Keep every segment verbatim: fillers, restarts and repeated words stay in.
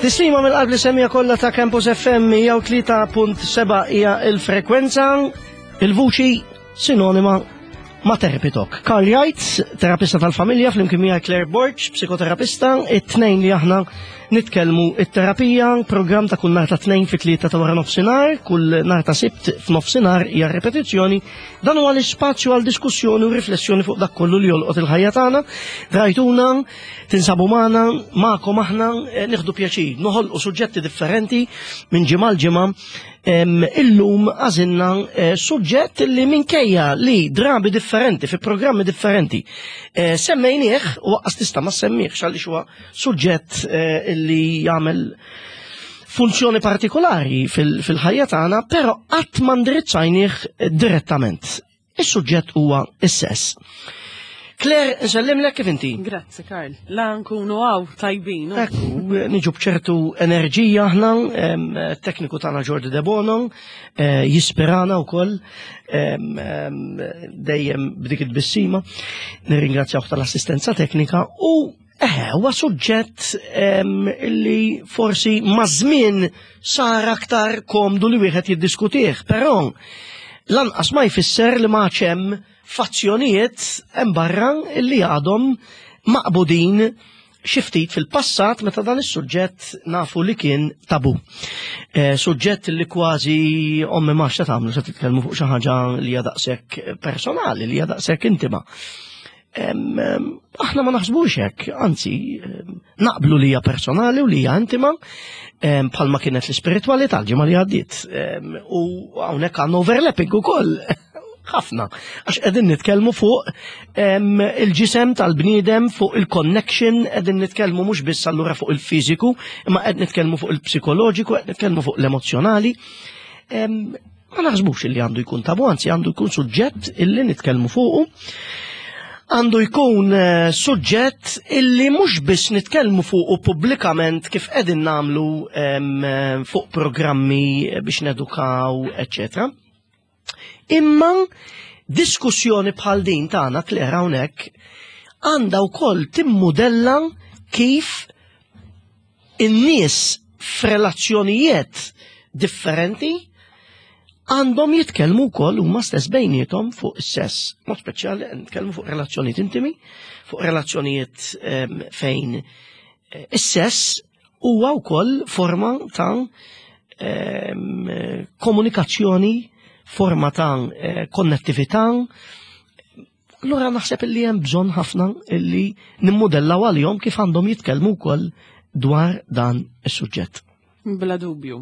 Tislima mill-qalb li semija kollha ta' Campus F M mija u tlieta punt seba' hija il-frekwenza, il-vuċi sinonima ma' Therapy Talk. Karl Jajt, terapista tal-familja, flimkien miegħi Claire Borg, psikoterapista, it-tnejn li aħna nitkellmu it-terapija, program ta' kull nhar ta' tnejn fi tlieta ta' wara nofsinhar, kull nhar ta' Sibt f'nofsinhar hija repetizzjoni. Dan huwa l-ispazju għal diskussjoni u riflessjoni fuq dak kollu li jolqot il-ħajja tagħna. Rajtuna, tinsabu magħna, magħkom aħna eh, nieħdu pjaċir, noħolqu suġġetti differenti minn ġimgħa l ġimgħa. Illum għażilna eh, suġġett li minkejja li drabi differenti, fi programmi differenti, eh, semmejnieh u lanqas tista' ma semmihx għaliex huwa suġġett eh, li jagħmel funzjoni partikolari fil-ħajja tagħna, però qatt ma ndirizzajnieh direttament. Is-suġġett huwa is-sess. Claire, nsellimlek, kif inti? Grazzi, Karl. La nkunu hawn tajbin. Ekku, niġu bċertu enerġija aħna, em, tekniku tagħna Jordi De Bono, eh, jispirana wkoll em, em, dejjem b'dik it-tbissima. Nirringrazzjaw tal-assistenza teknika u eh, huwa suġġett em, illi forsi maż-żmien sar aktar komdu li wieħed jiddiskutih, però lanqas ma jfisser li ma hemm fazzjonijiet hemm barra illi għadhom maqbudin xi ftit fil-passat meta dan is-suġġett nafu li kien tabu. Eh, suġġett li kważi ommi ma x'ta tagħmlu, se titkellmu fuq xi ħaġa li hija daqshekk personali, li hija daqshekk intima. Em, em, Aħna ma naħsbux hekk, anzi, em, naqblu li hija personali u li hija intima, em, bħalma kienet l-ispiritualità l-ġimgħa li għaddiet. Em, U hawnhekk għandna overlapping ukoll ħafna. Għax qegħdin nitkellmu fuq em, il-ġisem tal-bniedem, fuq il-connection, qegħdin nitkellmu mhux biss allura fuq il-fiżiku, imma qed nitkellmu fuq il-psikoloġiku, qed nitkellmu fuq l-emozjonali. Em, Ma naħsbux li għandu jkun tabu, anzi għandu jkun suġġett illi nitkellmu fuqu. Għandu jkun eh, suġġett illi mhux biss nitkellmu fuqu pubblikament kif qegħdin nagħmlu em, eh, fuq programmi biex nedukaw, eċċetera. Imma diskussjoni bħal din tagħna, Claire, hawnhekk għandha wkoll timmudella kif in-nies f'relazzjonijiet differenti għandhom jitkellmu wkoll huma stess bejniethom fuq is-sess. Mod speċjali nitkellmu fuq relazzjonijiet intimi, fuq relazzjonijiet em, fejn eh, is-sess huwa wkoll forma ta' em, komunikazzjoni, forma ta' eh, konnettività. Allura naħseb illi hemm bżonn ħafna illi nimmodellaw għalihom kif għandhom jitkellmu wkoll dwar dan is-suġġett. Bla dubju.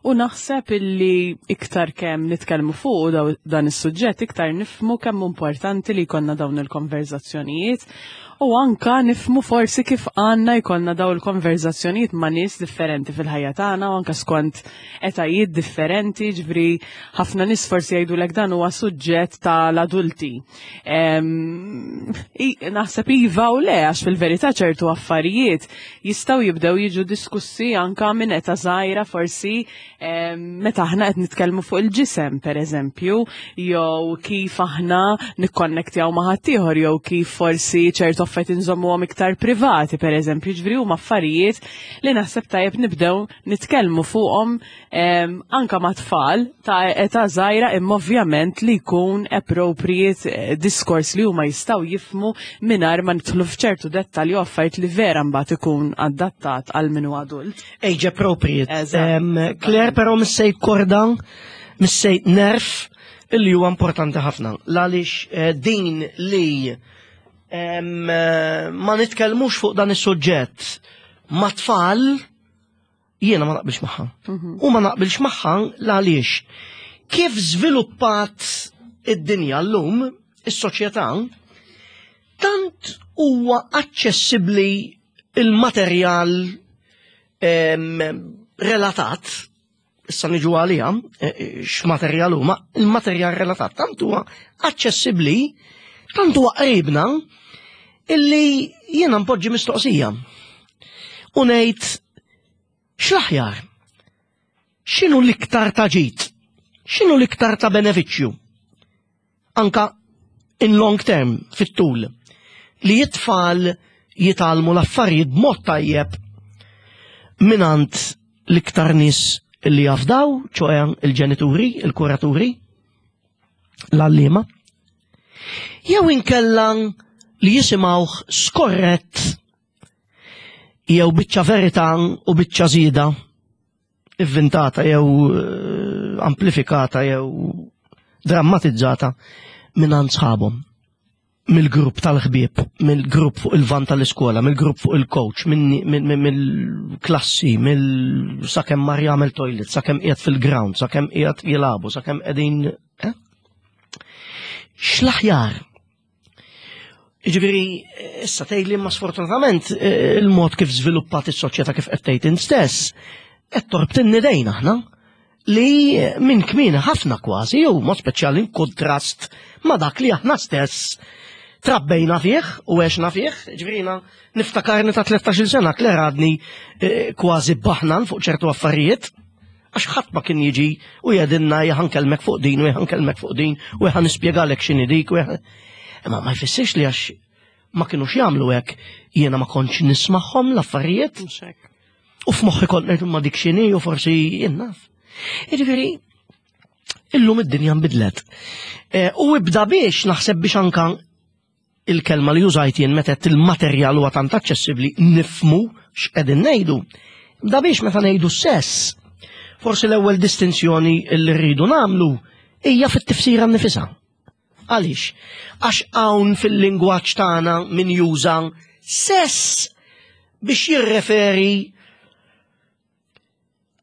U naħseb illi iktar kemm nitkellmu fuq daw- dan is-suġġett, iktar nifmu kemm importanti li jkollna dawn il-konverzazzjonijiet u anka nifmu forsi kif għandna jkollna dawn il-konverzazzjonijiet ma' nies differenti fil-ħajja tagħna u anka skont etajiet differenti, ġifieri ħafna nies forsi jgħidulek dan huwa suġġett tal-adulti. Em, i- Naħseb iva u le, għax fil-verità ċertu affarijiet jistgħu jibdew jiġu diskussi anka minn età żgħira, forsi em, meta aħna qed nitkellmu fuq il-ġisem, pereżempju, jew kif aħna nikkonnektjaw ma' ħaddieħor, jew kif forsi ċertu affarijiet inżommuhom iktar privati, pereżempju, ġifieri huma affarijiet li naħseb tajjeb nibdew nitkellmu fuqhom em, anka ma' tfal ta' età żgħira, imma ovvjament li jkun appropriate eh, diskors li huma jistgħu jifmu mingħajr ma nidħlu f'ċertu dettalji u affarijiet li vera mbagħad ikun adattat għal min hu adult. Age appropriate. Eżatt. Em, Claire, però missejt korda, missejt nerf illi huwa importanti ħafna. Għaliex eh, din li em, eh, ma nitkellmux fuq dan is-suġġett ma' tfal, jiena ma naqbilx magħha. U ma naqbilx magħha għaliex kif żviluppat id-dinja llum, is-soċjetà, tant huwa aċċessibbli il-materjal em, relatat, issa niġu għalija, eh, eh, x'materjal huma, il-materjal relatat tant huwa aċċessibbli, tant huwa qribna, illi jiena npoġġi mistoqsija. U ngħid x'l-aħjar? X'inhu l-iktar ta' ġid? X'inhu l-iktar ta' benefiċċju? Anka in long term, fit-tul, li it-tfal jitgħallmu l-affarijiet b'mod tajjeb mingħand l-iktar nies li jafdaw, ċoè il-ġenituri, il-kuraturi, l-għalliema, jew inkella li jisimgħuh skorrett jew biċċa verità u biċċa żieda ivvintata jew eh, amplifikata jew drammatizzata minn sħabhom, mill-grupp tal-ħbieb, mill-grupp fuq il-van tal-iskola, mill-grupp fuq il-coach, mill-klassi, mill sakemm mar jagħmel toilet, sakemm qiegħed fil-ground, sakemm qiegħed jilagħbu, sakemm qegħdin, eh? X'l-aħjar? Ġifieri, issa tgħidli ma sfortunatament eh, il-mod kif żviluppat is-soċjetà, kif qed tgħid int stess, qed torbtinni dejna aħna li minn kmieni ħafna kważi, jew mod speċjali in kontrast ma dak li aħna stess trabbejna fih u għexna fih. Ġifieri niftakarni ta' tlettax-il sena Claire għadni eh, kważi baħnan fuq ċertu affarijiet, għax ħadd ma kien jiġi u jgħidilna ħa nkellmek fuq din u ħa nkellmek fuq din u ħa nispjegalek x'inhi dik u Imma ma jfissirx li għax ma kinux jagħmlu hekk jiena ma kontx nismagħhom l-affarijiet. Mhux hekk. U f'moħħi kont ngħid ma dik x'inhi u forsi jien naf. Jiġifieri illum id-dinja nbidlet. Eh, U ibda biex naħseb biex anka il-kelma li użajt jien meta qed il-materjal huwa tant aċċessibbli nifmu x'qegħdin ngħidu. Ibda biex meta ngħidu sess, forsi l-ewwel distinzjoni li rridu nagħmlu hija fit-tifsira nnifisha. Għaliex? Għax hawn fil-lingwaġġ tagħna min juża sess biex jirreferi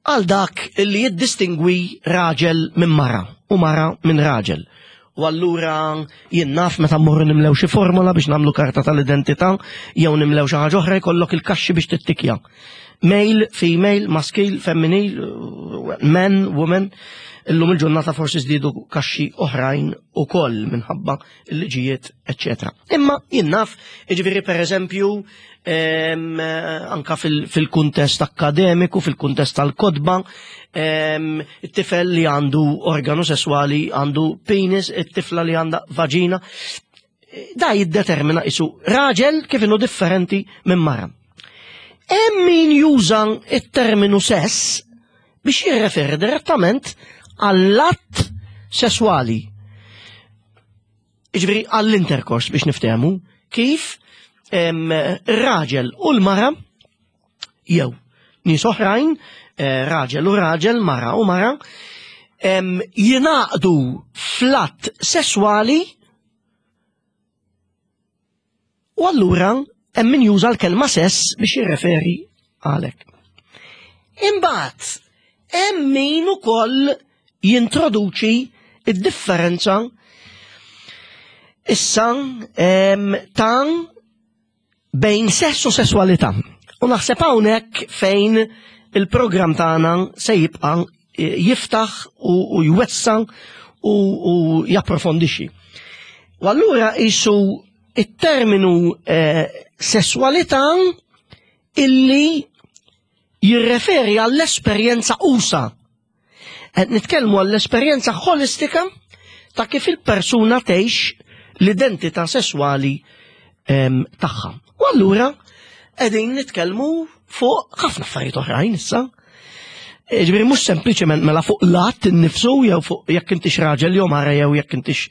għal dak li jiddistingwi raġel minn mara u mara minn raġel. U allura jien naf meta mmorru nimlew xi formola biex nagħmlu karta tal-identità jew nimlew xi ħaġa oħra, jkollok il-kaxxi biex tittikja. Male, female, maskil, femminil, man, woman. Illum il-ġurnata forsi żdiedu kaxxi oħrajn ukoll minħabba il-liġijiet, eċċetera. Imma jien naf, jiġifieri per eżempju, em, anka fil- fil-kuntest akademiku, fil-kuntest tal-kotba, em, it-tifel li għandu organu sessuali għandu penis, it-tifla li għandha vagina, da jiddetermina isu raġel kif inhu differenti minn mara. Hemm min juża it-terminu sess biex jirreferi direttament għall-att sesswali. Jiġifieri għall-intercourse biex niftehmu kif em, ir-raġel u l-mara jew nies oħrajn, eh, raġel u raġel, mara u mara, em, jingħaqdu fl-att sesswali u allura hemm min juża l-kelma sess biex jirreferi għalek. Imbagħad hemm min ukoll jintroduċi id-differenza issa em, ta' bejn sess u sesswalità. U naħseb hawnhekk fejn il-programm tagħna se jibqa' eh, jiftaħ u, u jwessa u, u japprofondixxi. U allura isu it-terminu eh, sesswalità illi jirreferi għall-esperjenza usa. Qed nitkellmu għall-esperjenza ħolistika ta' kif il-persuna tgħix l-identità sesswali em, tagħha. U allura qegħdin nitkellmu fuq ħafna affarijiet oħrajn issa. Ġifieri mhux sempliċement mela fuq l-att innifsu jew fuq jekk intix raġel jew mara jew jekk intix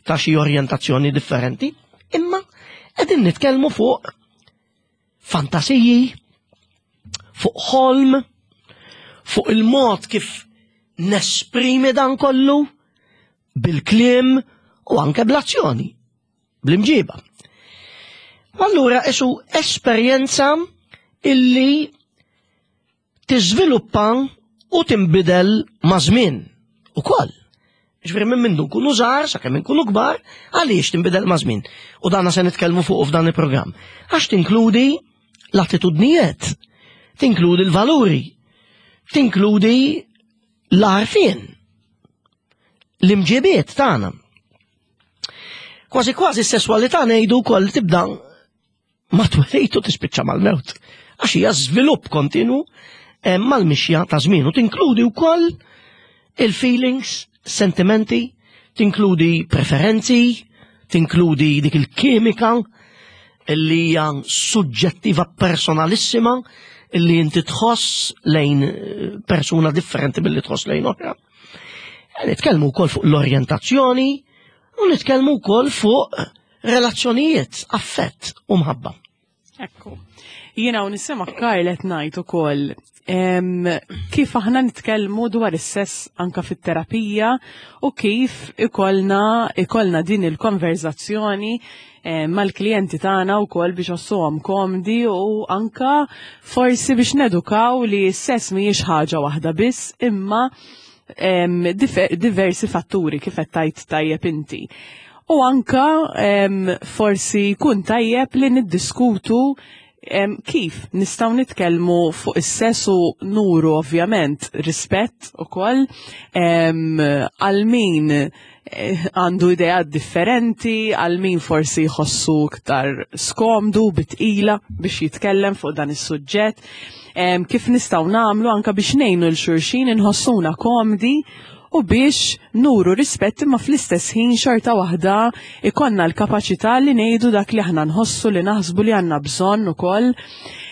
ta' xi orjentazzjoni differenti, imma qegħdin nitkellmu fuq fantasiji, fuq ħolm, fuq il-mod kif nesprimi dan kollu bil-kliem u anke bl-azzjoni, bl-imġiba. U allura isu esperjenza illi tiżviluppa u tinbidel ma' żmien ukoll. Ġifieri minn mindu nkunu żgħar sakemm nkunu kbar, għaliex tinbidel ma' żmien? U danna se nitkellmu fuq f'dan il-programm. Għax tinkludi l-attitudnijiet, tinkludi l-valuri, tinkludi l-għarfien, l-imġibiet tagħna. Kważi kważi s-sesswalità ngħidu wkoll tibda ma twelid u tispiċċa mal-mewt. Għax hija żvilupp kontinu eh, mal-mixja ta' żmien u tinkludi wkoll il-feelings, sentimenti, tinkludi preferenzi, tinkludi dik il-kimika li hija suġġettiva personalissima Illi inti tħoss lejn eh, persuna differenti billi tħoss lejn oħra. Nitkellmu wkoll fuq l-orjentazzjoni u nitkellmu wkoll fuq relazzjonijiet, affett u mħabba. Ekku. Jiena u nisema Karl qed ngħid ukoll em, kif aħna nitkellmu dwar is-sess anka fit-terapija u kif ikollna ikollna din il-konverzazzjoni em, mal-klijenti tagħna wkoll biex iħossuhom komdi u anka forsi biex nedukaw li s-sess mhijiex ħaġa waħda biss, imma em, dife- diversi fatturi, kif qed tajt tajjeb inti. U anka em, forsi jkun tajjeb li niddiskutu em, kif nistgħu nitkellmu fuq is-sess u nuru ovvjament rispett ukoll em, għal min eh, għandu ideat differenti, għal min forsi jħossu iktar skomdu bitqila biex jitkellem fuq dan is-suġġett. Em, kif nistgħu nagħmlu anka biex ngħinu 'l xulxin inħossuna komdi u biex nuru rispett, imma fl-istess ħin xorta waħda ikollna l-kapaċità li ngħidu dak li aħna nħossu, li naħsbu li għandna bżonn ukoll.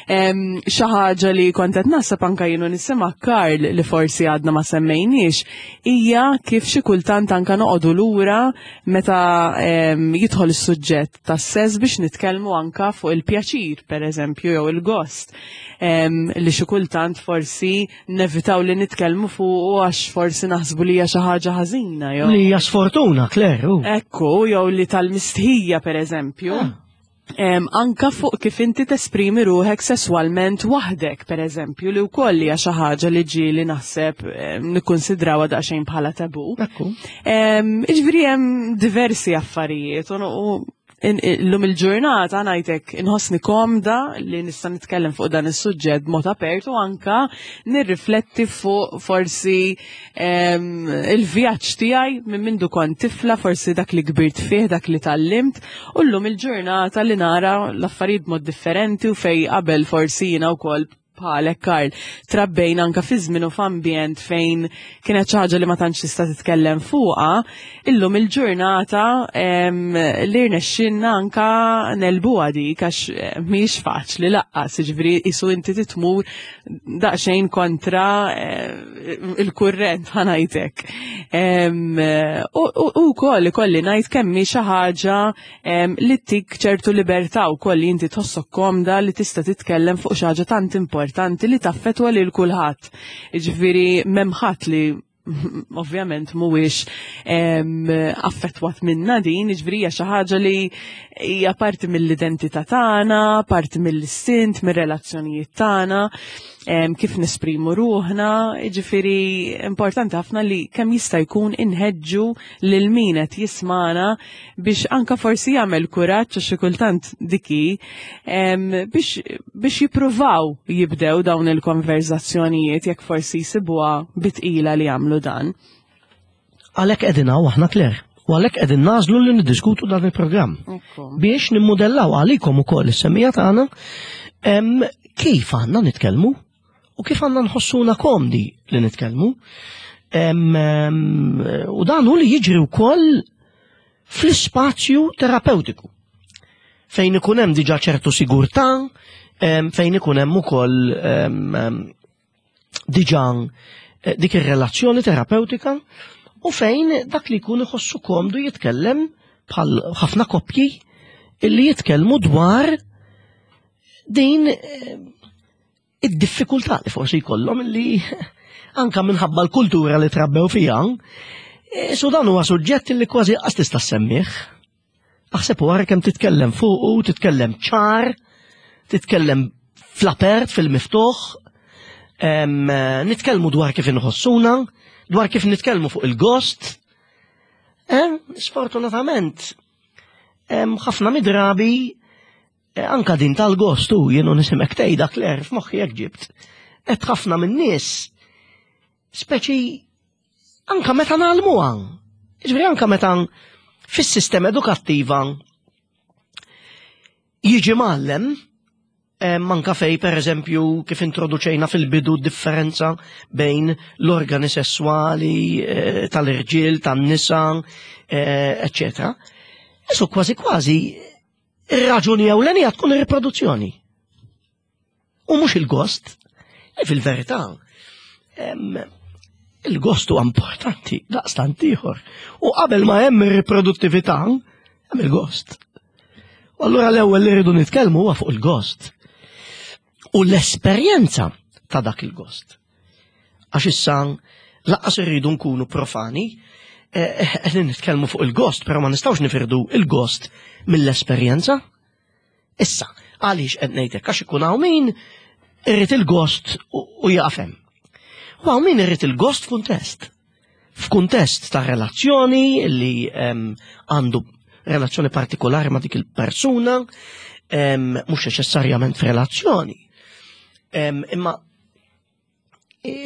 Em, Xi ħaġa li kont qed naħseb anka jien u nisma' Karl li forsi għadna ma semmejniex hija kif xi kultant anka noqogħdu lura meta em, jidħol is-suġġett tas-sess biex nitkellmu anka fuq il-pjaċir, pereżempju, jew il-gost, em, li xi kultant forsi nevitaw li nitkellmu fuq għax forsi naħsbu li hija xi ħaġa ħażina jew Li hija sfortuna, Claire. u. Ekku, jew li tal-mistħija, per eżempju. Ah. Em, anka fuq kif inti tesprimi ruħek sesswalment waħdek, per eżempju, li wkoll hija xi ħaġa li ġieli naħseb em, nikkunsidrawha daqsxejn bħala tabu. Ekku. Em, Jiġifieri hemm diversi affarijiet u u in- illum il-ġurnata ngħidlek inħossni komda li nista' nitkellem fuq dan is-suġġett b'mod apert u anka nirrifletti fuq forsi em, il-vjaġġ tiegħi minn mindu kont tifla, forsi dak li kbirt fih, dak li tgħallimt, u llum il-ġurnata li nara l-affarijiet b'mod differenti u fej qabel forsi jiena wkoll bħalek, Karl, trabbejna anka fi żmien u f'ambjent fejn kienet xi ħaġa li ma tantx tista' titkellem fuqha, illum il-ġurnata em, li rnexxinna anka negħlbuha dik, għax eh, mhijiex faċli lanqas, jiġifieri isu inti titmur daqsxejn kontra eh, il-kurrent, ħa ngħidlek. Em, U u wkoll ikolli ngħid kemm hi xi ħaġa em, li tik ċertu libertà wkoll li inti tħossok komda li tista' titkellem fuq xi ħaġa tant importanti li taffetwa lil kulħadd. Jiġifieri m'hemm ħadd li ovvjament mhuwiex em, affettwat minna din, jiġifieri hija xi ħaġa li hija parti mill-identità tagħna, parti mill-istint, mir-relazzjonijiet tagħna, em, kif nesprimu ruħna, jiġifieri importanti ħafna li kemm jista' jkun inħeġġu lil min qed jismana biex anka forsi jagħmel kuraġġ, għax xi kultant diki em, biex biex jippruvaw jibdew dawn il-konverzazzjonijiet jekk forsi jsibuha bitqila li jagħmlu dan. Għalhekk qegħdin hawn aħna, Claire. U għalhekk qegħdin nagħżlu li niddiskutu dan il-programm. Ekku. Biex nimmudellaw għalikom ukoll is-semmiegħa tagħna em, kif għandna nitkellmu u kif għandna nħossuna komdi li nitkellmu. Em, em, U dan hu li jiġri wkoll fl-ispazju terapeutiku, fejn ikun hemm diġà ċertu sigurtà, em, fejn ikun hemm ukoll em, em, diġà eh, dik ir-relazzjoni terapeutika u fejn dak li jkun iħossu komdu jitkellem, bħal ħafna koppji illi jitkellmu dwar din eh, id-diffikultà li forsi jkollhom illi anka minħabba l-kultura li trabbew fiha, eh, so dan huwa suġġett li kważi qas tista' semmih. Aħseb wara kemm titkellem fuqu, titkellem ċar, titkellem fl-apert, fil-miftuħ, em, eh, nitkellmu dwar kif inħossuna, dwar kif nitkellmu fuq il-gost. Em, Sfortunatament, em, ħafna midrabi eh, anka din tal-gost u jien u nisimek tgħidha, Claire, f'moħħi jekk ġibt. Et ħafna min-nies speċi anka meta ngħallmuha. Jiġifieri anka meta fis-sistema edukattiva jiġi mgħallem em, anka fej, per eżempju, kif introduċejna fil-bidu differenza bejn l-organi sessuali eh, tal-irġiel, tan-nisa, eh, eccetera. Isu kważi kważi ir-raġuni ewlenija tkun ir-riproduzzjoni. U mhux il-gost. E fil-verità, il-gost huwa importanti daqstant ieħor. U qabel ma hemm ir-riproduttività, hemm il-gost. U allura l-ewwel li rridu nitkellmu huwa fuq il-gost. U l-esperjenza ta' dak il-gost. Għax issa lanqas irridu nkunu profani, qegħdin eh, nitkellmu fuq il-gost, però ma nistgħux nifirdu il-gost mill-esperjenza. Issa, għaliex qed ngħidlek għax ikun hawn min irid il-gost u jaqfem. U hawn min irid il-gost f'kuntest. F'kuntest ta' relazzjoni li għandu relazzjoni partikolari ma' dik il-persuna, mhux neċessarjament f'relazzjoni. Imma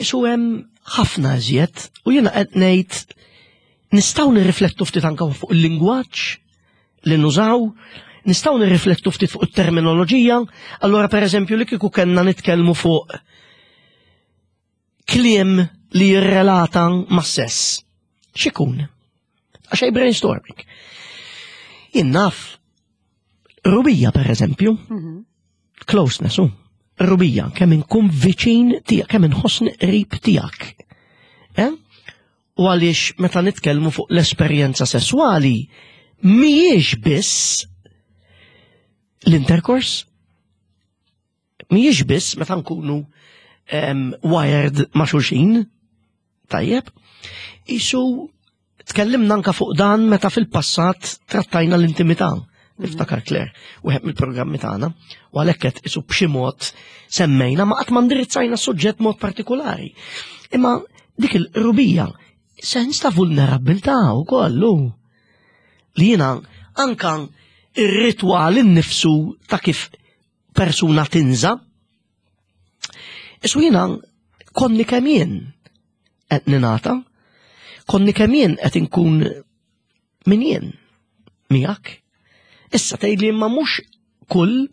su hemm ħafna iżjed u jiena qed ngħid nistgħu nirriflettu ftit anke fuq il-lingwaġġ li nużaw, nistgħu nirriflettu ftit fuq it-terminoloġija, allura pereżempju li kieku kellna nitkellmu fuq kliem li jirrelata ma' sess. X'ikun? Għax brainstorming. Jien naf qrubija per eżempju, mhm. closeness, u, qrubija, kemm inkun viċin tiegħek, kemm inħossni qrib tiegħek. Eh? U għaliex meta nitkellmu fuq l-esperjenza sessuali, mhijiex biss l-intercourse, mhijiex biss meta nkunu um, wired ma' xulxin, tajjeb, isu tkellimna anka fuq dan meta fil-passat trattajna l-intimità. Niftakar Claire, wieħed mill-programmi tagħna, u għalhekk qed isu b'xi mod semmejna ma qatt ma ndirizzajna suġġett mod partikolari. Imma dik il-qrubija, sens ta' vulnerabilità wkoll li jiena anka ir-ritwal innifsu ta' kif persuna tinża. Isu jiena konni kemm jien qed ninata, konni kemm jien qed inkun min jien miegħek. Issa tgħidli imma mhux kull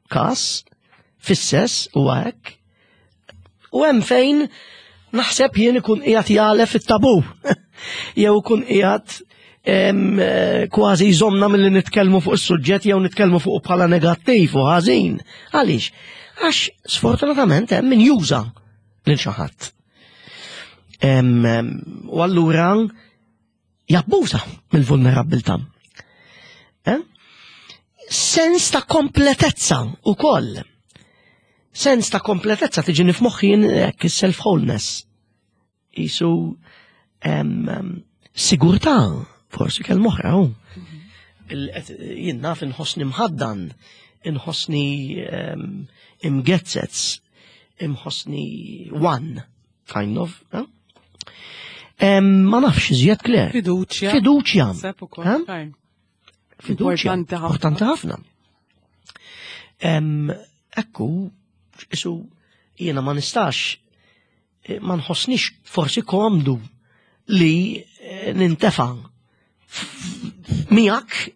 każ fis-sess u hekk. U hemm fejn naħseb jien ikun qiegħed jagħlef it-tabu. Jew ikun qiegħed kważi jżomna milli nitkellmu fuq is-suġġett jew nitkellmu fuq bħala negattiv u ħażin. Għaliex? Għax sfortunatament hemm min juża lil xi ħadd. U allura jabbuża mill-vulnerabbiltà. Eh? Sens ta' kompletezza u koll. Sens ta' kompletezza tiġi f'moħħi hekk self-wholeness. Isu sigurtà, forsi kelma oħra. Jien naf inħossni mħaddan, inħossni imgezzez, inħossni one, kind of. Eh? Ma nafx iżjed Claire. Fiduċja. Fiduċja. Fiduċja. Importanti ħafna. Ekku, isu jiena ma nistax, eh, ma nħossnix forsi komdu li eh, nintefa miegħek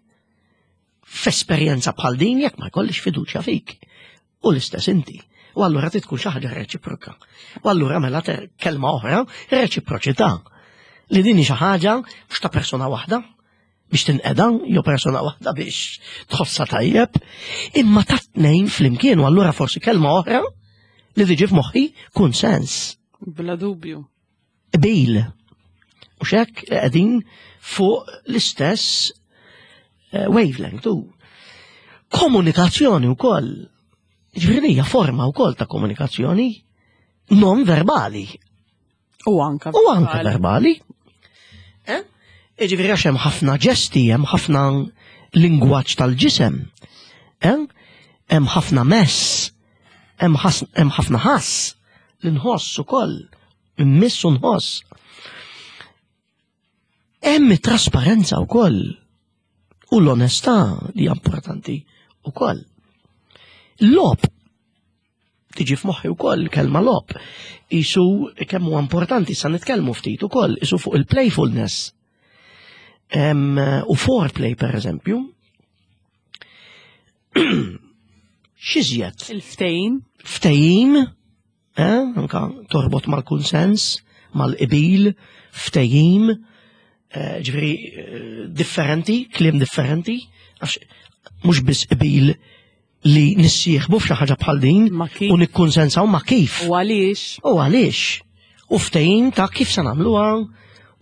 f'esperjenza bħal din jekk ma jkollix fiduċja fik. U l-istess inti. U allura tkun xi ħaġa reċiproka. U allura mela kelma oħra, reċiproċità. Li din xi ħaġa mhux ta' persuna waħda biex tinqeda jew persuna waħda biex tħossha tajjeb, imma ta' tnejn flimkien u allura forsi kelma oħra li tiġi f'moħħi kunsens. Bla dubju. Qbil. U xek qegħdin fuq l-istess eh, wavelength u komunikazzjoni wkoll. Ġifieri hija forma wkoll ta' komunikazzjoni non verbali. U anka U anka verbali. Eh? Ġifieri għax hemm ħafna ġesti, hemm ħafna lingwaġġ tal-ġisem. Eh? Hemm ħafna mess, hemm ħafna ħass li nħoss ukoll, immiss u nħoss. Hemm trasparenza wkoll u l-onestà li hija importanti wkoll. Logħob tiġi f'moħħi wkoll kelma logħob. Isu kemm huwa importanti sa nitkellmu ftit ukoll isu fuq il-playfulness. U foreplay per eżempju. X'iżjed? Il-ftehim. Ftehim, eh, anka torbot mal-kunsens, mal-qbil, ftehim, eh, ġifieri eh, differenti, kliem differenti, għax mhux biss qbil li nissieħbu f'xi ħaġa bħal din Ma kif? u nikkonsensaw ma kif. U għaliex? U għaliex? U ftehim ta' kif se nagħmluha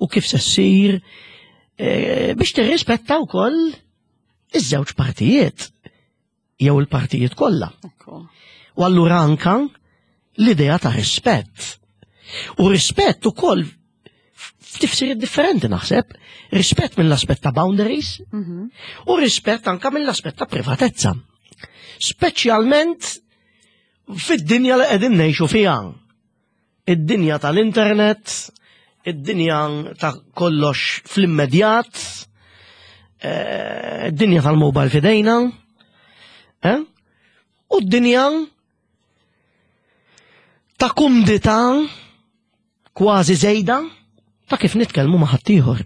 u kif se ssir e, biex tirrispetta wkoll iż-żewġ partijiet jew il-partijiet kollha. Ekku. U allura anka l-idea ta' rispett. U rispett ukoll f'tifsiriet differenti naħseb. Rispett mill-aspett ta' boundaries Mhm. u rispett anka mill-aspett ta' privatezza. Speċjalment fid-dinja li qegħdin ngħixu fiha. Id-dinja tal-internet, id-dinja ta' kollox fl-immedjat, eh, id-dinja tal-mobile f'idejna, eh? U d-dinja ta' kumdità kważi żejda ta' kif nitkellmu ma' ħaddieħor.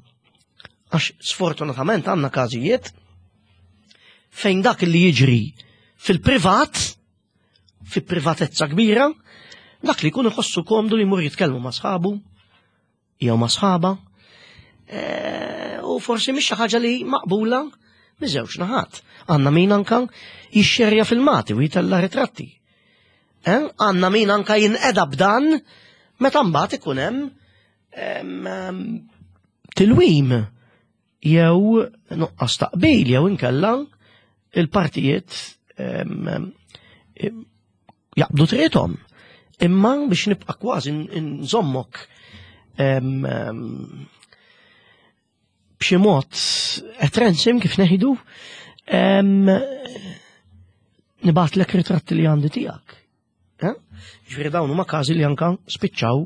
Għax sfortunatament għandna każijiet fejn dak li jiġri fil-privat, fi privatezza kbira, dak li jkun iħossu komdu li jmur jitkellmu ma' sħabu, jew ma' sħaba, eh, u forsi mhix xi ħaġa li maqbula miż-żewġ naħat. Għandna min anka jixxerja filmati u jitella ritratti. Eh? Għandna min anka jinqeda b'dan meta mbagħad ikun hemm em, em, tilwim jew nuqqas taqbil jew inkella il-partijiet em, em, jaqbdu triqthom. Imma biex nibqa' kważi nżommok em, em, b'xi mod at ransom kif ngħidu em, nibgħatlek ritratti li għandi tiegħek. Eh? Ġifieri dawn huma każi li anka spiċċaw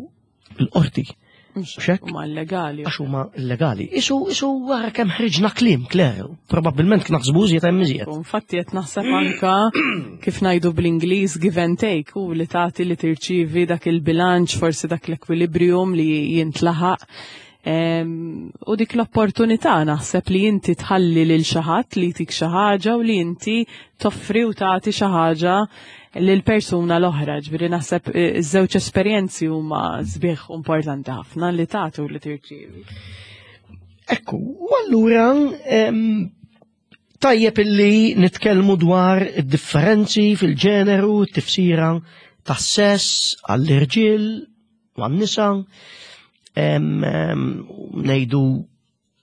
il-qorti. Xek? Huma illegali. Għax huma illegali. Isu, isu wara kemm ħriġna kliem, Claire, probabbilment naħsbu iżjed hemm iżjed. U Infatti qed naħseb anka kif ngħidu bl-Ingliż give and take u li tagħti li tirċivi dak il-bilanċ, forsi dak l-equilibrium li jintlaħaq. Em, U dik l-opportunità naħseb li inti tħalli lil xi ħadd li jtik xi ħaġa u li inti toffri u tagħti xi ħaġa lil persuna l-oħra. Ġifieri naħseb eh, iż-żewġ esperjenzi huma sbieħ u importanti ħafna li tagħti u li tirċievi. Ekku, u allura em, tajjeb illi nitkellmu dwar id-differenzi fil-ġeneru, t-tifsira tas-sess għall-irġiel u għan-nisa, em, em, ngħidu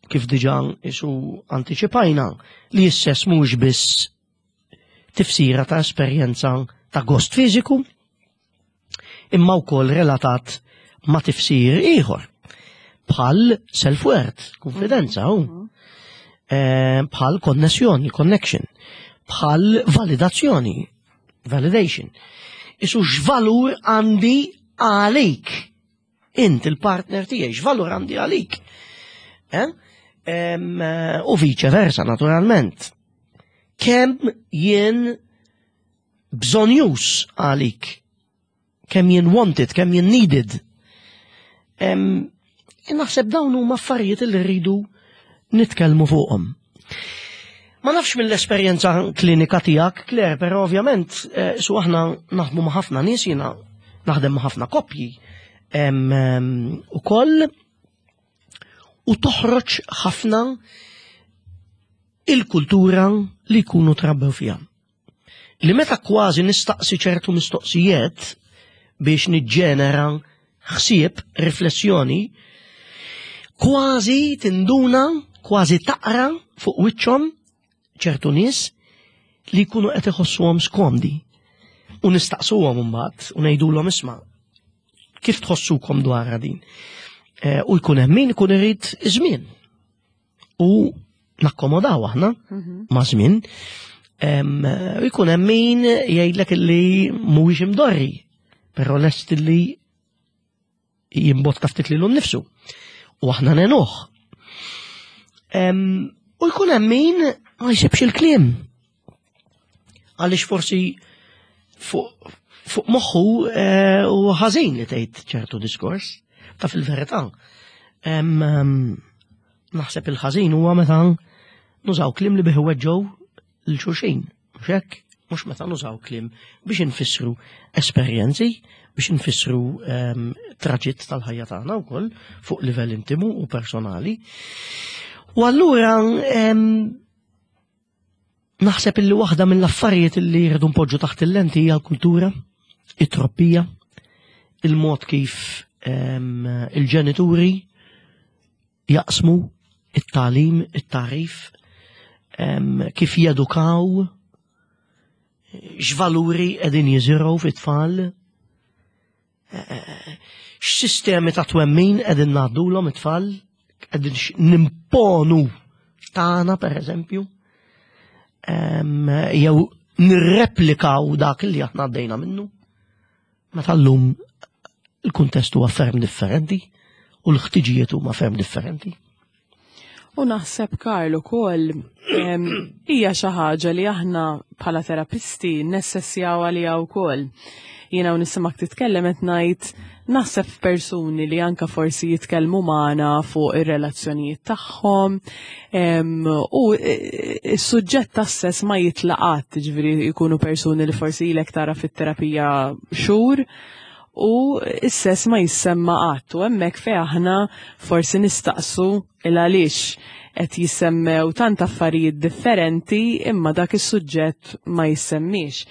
kif diġà isu antiċipajna li s-sess mhux biss tifsira ta' esperjenza ta' gost fiżiku, imma wkoll relatat ma' tifsir ieħor bħal self-worth, konfidenza, u eh, bħal konnessjoni, connection, bħal validazzjoni, validation. Isu x'valur għandi għalik? Int il-partner tiegħi, x'valur għandi għalik? Eh? Em, eh, U vice versa, naturalment. Kemm jien bżonjuż għalik? Kemm jien wanted, kemm jien needed? Em, Naħseb dawn huma affarijiet li rridu nitkellmu fuqhom. Ma nafx mill-esperjenza klinika tiegħek, Claire, però ovvjament eh, su aħna naħdmu ma' ħafna nies jiena naħdem ma' ħafna koppji em, em, ukoll u toħroġ ħafna il-kultura li jkunu trabbew fiha. Li meta kważi nistaqsi ċertu mistoqsijiet biex niġġenera ħsieb, riflessjoni, kważi tinduna, kważi taqra fuq wiċċhom ċertu nies li jkunu qed iħossuhom skomdi. U nistaqsuhom imbagħad u ngħidulhom isma' kif tħossukom dwar din. Eh, U jkun hemm min ikun irid żmien. U nakkomodaw aħna ma' żmien. Em, U jkun hemm min jgħidlek illi mhuwiex imdorri, però lest illi jimbotta ftit lilu nnifsu. U aħna ngħinuh. Em, U jkun hemm min ma jsibx il-kliem. Għaliex forsi fuq fuq moħħu eh, u ħażin li tgħid ċertu diskors, ta' fil-verità. Em, em, Naħseb il-ħażin huwa meta nużaw kliem li bih weġġgħu lil xulxin. Mhux hekk? Mhux meta nużaw kliem biex infissru esperjenzi, biex infissru em, traġitt tal-ħajja tagħna wkoll fuq livell intimu u personali. U allura em, Naħseb illi waħda mill-affarijiet li rridu npoġġu taħt il-lenti hija l-kultura, it-trobbija, il-mod kif il-ġenituri jaqsmu it-tagħlim, it-tagħrif, kif jedukaw, x'valuri qegħdin jiżirgħu fit-tfal, x'sistemi ta' twemmin qegħdin ngħaddulhom it-tfal, qegħdin nimponu tagħna, pereżempju, jew nirreplikaw dak li aħna għaddejna minnu. Meta llum il-kuntest huwa ferm differenti u l-ħtiġijiet huma ferm differenti. U naħseb, Karl, ukoll hija xi ħaġa li aħna bħala terapisti nessessjaw għaliha wkoll. Jiena u nisimak titkellem qed ngħid, naħseb f'persuni li anka forsi jitkellmu magħna fuq ir-relazzjonijiet tagħhom u s-suġġett tas-sess ma jitlaqat, ġifieri jkunu persuni li forsi ilek tara fit-terapija xhur u s-sess ma jissemma qatt, u hemmhekk fejn aħna forsi nistaqsu il għaliex qed jissemmew tant affarijiet differenti imma dak is-suġġett ma jissemmix.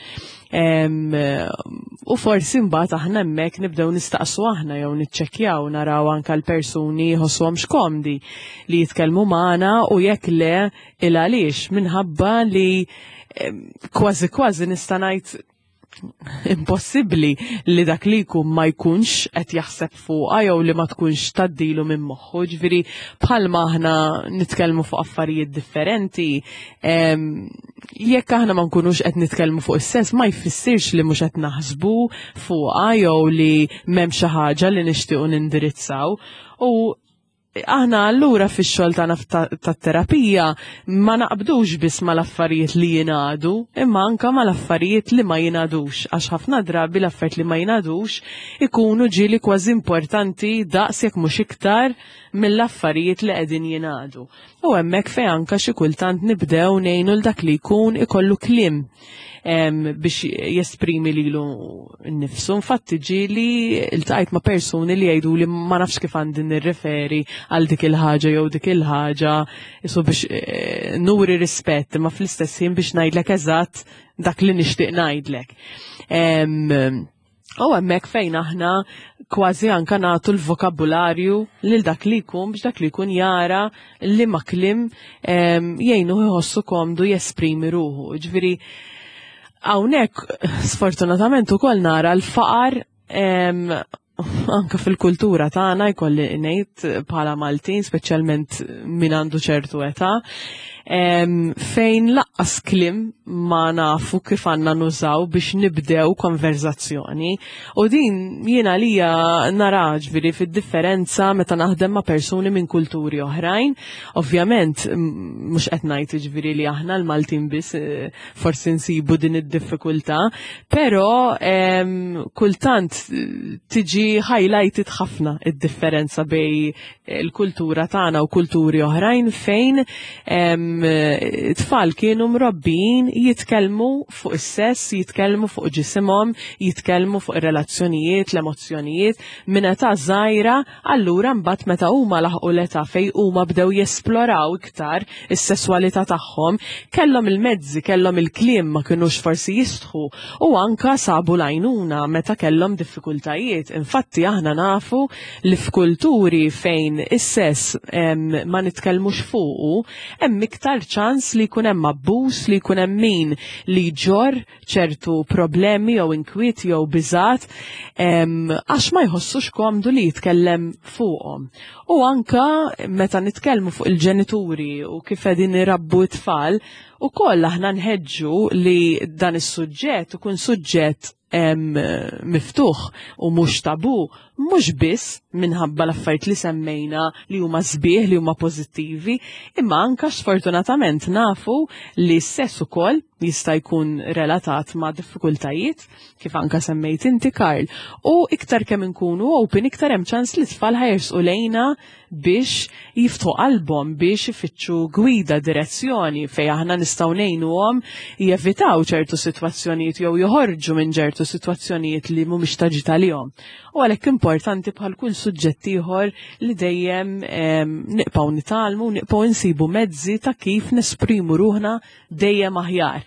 U forsi mbagħad aħna hemmhekk nibdew nistaqsu aħna jew niċċekkjaw, naraw anke l-persuni jħossuhom x'komdi li jitkellmu magħna u jekk le, il għaliex, minħabba li kważi kważi nista' ngħid impossibbli li dak li jkun ma jkunx qed jaħseb fuqha jew li ma tkunx tgħaddilu minn moħħu. Ġifieri bħalma aħna nitkellmu fuq affarijiet differenti, jekk aħna ma nkunux qed nitkellmu fuq is-sess ma jfissirx li mhux qed naħsbu fuqha jew li m'hemm xi ħaġa li nixtiequ nindirizzaw. U aħna allura fix-xogħol tagħna tat-terapija ma naqbdux biss mal-affarijiet li jingħadu, imma anka mal-affarijiet li ma jingħadux, għax ħafna drabi l-affarijiet li ma jingħadux ikunu ġieli kważi importanti daqs jekk mhux iktar mill-affarijiet li qegħdin jingħadu. U hemmhekk fejn anka xi kultant nibdew ngħinu l dak li jkun ikollu kliem biex jesprimi lilu nnifsu. Infatti ġieli iltqajt ma' persuni li jgħidu li ma nafx kif għandi nirreferi għal dik il-ħaġa jew dik il-ħaġa, isu biex eh, nuri rispett, ma fl-istess ħin biex ngħidlek eżatt dak li nixtieq ngħidlek. U hemmhekk fejn aħna kważi anka nagħtu l-vokabularju lil dak li jkun biex dak li jkun jara li ma kliem jgħinu jħossu komdu jesprimi ruħu. Ġifieri hawnhekk sfortunatament ukoll nara l-faqar anka fil-kultura tagħna, jkolli ngħid bħala Maltin, speċjalment min għandu ċertu età, fejn lanqas kliem ma nafu kif għandna nużaw biex nibdew konverzazzjoni. U din jiena lija nara ġifieri fid-differenza meta naħdem ma' persuni minn kulturi oħrajn. Ovvjament, mhux qed ngħid ġifieri li aħna l-Maltin biss eh, forsi nsibu din id-diffikultà, però kultant eh, tiġi highlighted ħafna id-differenza bejn il-kultura tagħna u kulturi oħrajn fejn tfal kienu mrobbijin jitkellmu fuq is-sess, jitkellmu fuq ġisimhom, jitkellmu fuq ir-relazzjonijiet, l-emozzjonijiet minn età żgħira, allura mbagħad meta huma laħqu l-età fejn huma bdew jesploraw iktar is-sesswalità tagħhom, kellhom il-mezzi, kellhom il-kliem, ma kinux forsi jistħu u anka sabu l-għajnuna meta kellhom diffikultajiet. Infatti aħna nafu li f'kulturi fejn is-sess ma nitkellmux fuqu, hemm iktar ċans li jkun hemm abbuż, li jkun hemm min li jġorr ċertu problemi jew inkwiet jew biżat għax ma jħossux komdu li jitkellem fuqhom. U anka meta nitkellmu fuq il-ġenituri u kif qegħdin irabbu t-tfal, ukoll aħna nħeġġu li dan is-suġġett ikun suġġett miftuħ u mhux tabu, mhux biss minħabba l-affarijiet li semmejna li huma sbieħ, li huma pożittivi, imma anka sfortunatament nafu li s-sess ukoll jista' jkun relatat ma' diffikultajiet, kif anka semmejt inti, Karl. U iktar kemm inkunu open, iktar hemm ċans li tfal ħa jersqu lejna biex jiftħu qalbhom, biex ifittxu gwida, direzzjoni fejn aħna nistgħu ngħinuhom jevitaw ċertu sitwazzjonijiet jew joħorġu minn ċertu sitwazzjonijiet li mhumiex ta' ġid għalihom. U għalhekk importanti importanti bħal kull suġġett ieħor li dejjem em, nibqgħu nitgħallmu, nibqgħu nsibu mezzi ta' kif nesprimu ruħna dejjem aħjar.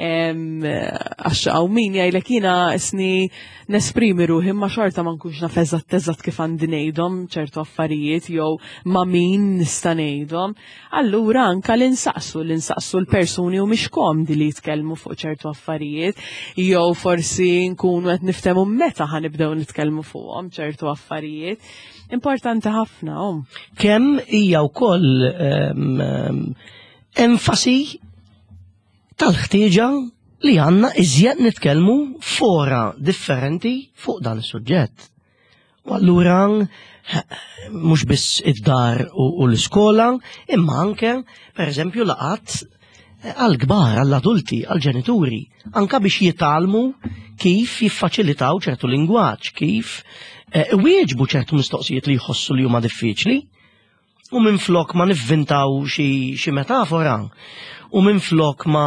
Em, Għax hawn min jgħidlek jiena isni nesprimi ruħi ma xorta ma nkunx naf eżatt eżatt kif għandi ngħidhom ċertu affarijiet jew ma' min nista' ngħidhom. Allura anka li nsaqsu, li nsaqsu l-persuni u mhix komdi li jitkellmu fuq ċertu affarijiet, jew forsi nkunu qed niftehmu meta ħa nibdew nitkellmu fuqhom ċertu affarijiet. Importanti ħafna, um. Kemm hija wkoll em, em, enfasi tal-ħtieġa li għandna iżjed nitkellmu fora differenti fuq dan is-suġġett. U allura mhux biss id-dar u, u l-iskola, imma anke, per eżempju, laqgħat għal-kbar, għall-adulti, għal-ġenituri, anka biex jitgħallmu kif jiffaċilitaw ċertu lingwaġġ, kif eh, wieġbu ċertu mistoqsijiet li jħossu li huma diffiċli. U minn flok ma nivvintaw xi xi metafora, u minn flok ma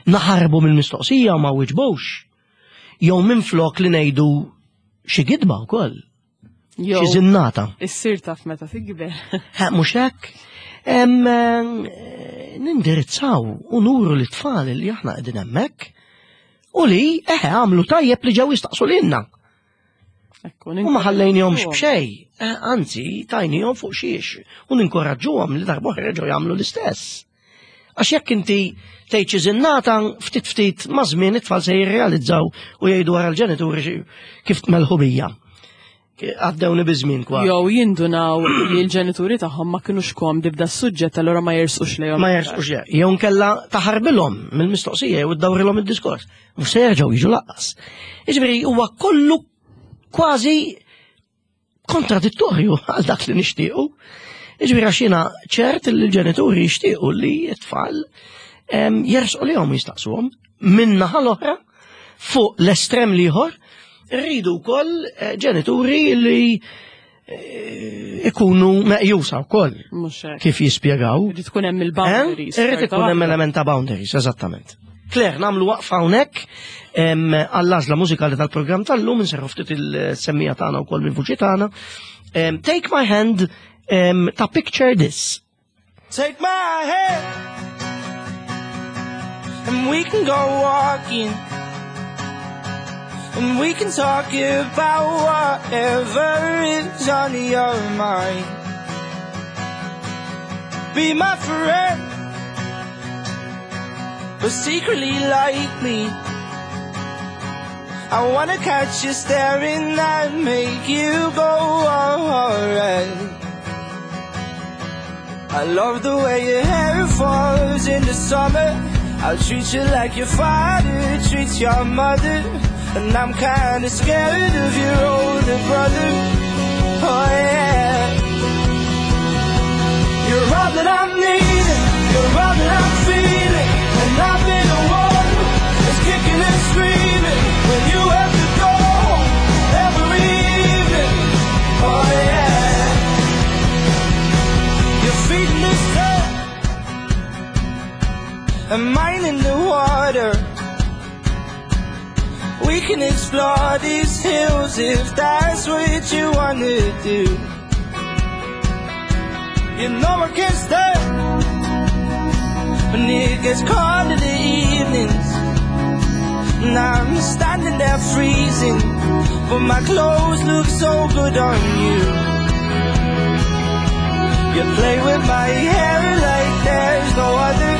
naħarbu mill-mistoqsija u ma wieġbux. Jew minn flok li ngħidu xi gidba wkoll, Jew xi żinnata. issir taf meta tikber. Ha, mhux hekk? Em, eh, Nindirizzaw u nuru lit-tfal li aħna qegħdin hemmhekk u li eħe għamlu tajjeb li ġew jistaqsu lilna. Ekku, U ma ħallejnihomx b'xej, eh, anzi tajnihom fuq xiex u ninkoraġġuhom li darba oħra jerġgħu jagħmlu l-istess. Għax jekk inti tgħid xi żinnata ftit ftit ma' żmien it-tfal se jirrealizzaw u jgħidu wara l-ġenituri xi- kif tmelħu bija. Għaddewni biż-żmien kważi. Jew jindunaw li l-ġenituri tagħhom ma kinux komdi b'da s-suġġett allura ma jersqux lejhom. Ma jersqux le. Jew nkella taħarbilhom mill-mistoqsija jew iddawrilhom id-diskors. Mhux se jerġgħu jiġu lanqas. Jiġifieri huwa kollu kważi kontradittorju għal dak li nixtiequ. Jiġifieri għax jiena ċert li l-ġenituri jixtiequ li t-tfal em, jersqu lejhom jistaqsuhom. Min-naħa l-oħra fuq l-estrem l-ieħor rridu wkoll eh, ġenituri li eh, ikunu meqjusa wkoll Mhux hekk. kif jispjegaw. Irid tkun hemm il-boundaries. Eh? Irrid ikun hemm xorta waħda. element ta' boundaries, eżattament. Claire, nagħmlu waqfa hawnhekk em, għall-għażla mużikali tal-programm tal-lum, inserħu ftit il-semmiegħa tagħna wkoll mill-vuċi tagħna. Em, Take My Hand em, ta' Picture This. Take my hand and we can go walking and we can talk about whatever is on your mind. Be my friend, but secretly like me. I wanna catch you staring and make you go alright. I love the way your hair falls in the summer. I'll treat you like your father treats your mother. And I'm kinda scared of your older brother. Oh yeah. You're all that I'm needing. You're all that I'm feeling. And I've been the one that's kicking and screaming when you have to go home every evening. Oh yeah. Your feet in the sand and mine in the water. We can explore these hills if that's what you wanna do. You know I can't stay when it gets cold in the evenings. And I'm standing there freezing, but my clothes look so good on you. You play with my hair like there's no other,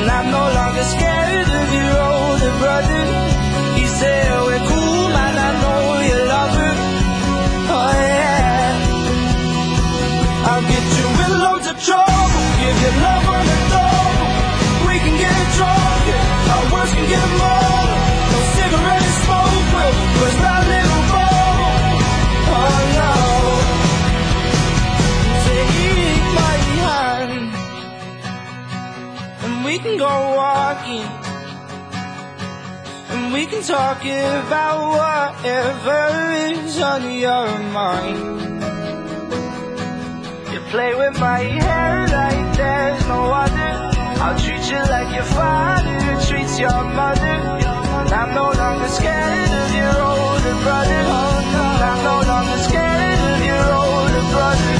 and I'm no longer scared of your older brother. He said we're cool, man, I know you love her. Oh yeah. I'll get you in loads of trouble, give you love on the double. We can get drunk, yeah, our words can get more. No cigarette smoke will burst our little bubble. Oh no. Take my hand, and we can go walking, and we can talk about whatever is on your mind. You play with my hair like there's no other. I'll treat you like your father treats your mother. And I'm no longer scared of your older brother. And I'm I'm no longer scared of your older brother.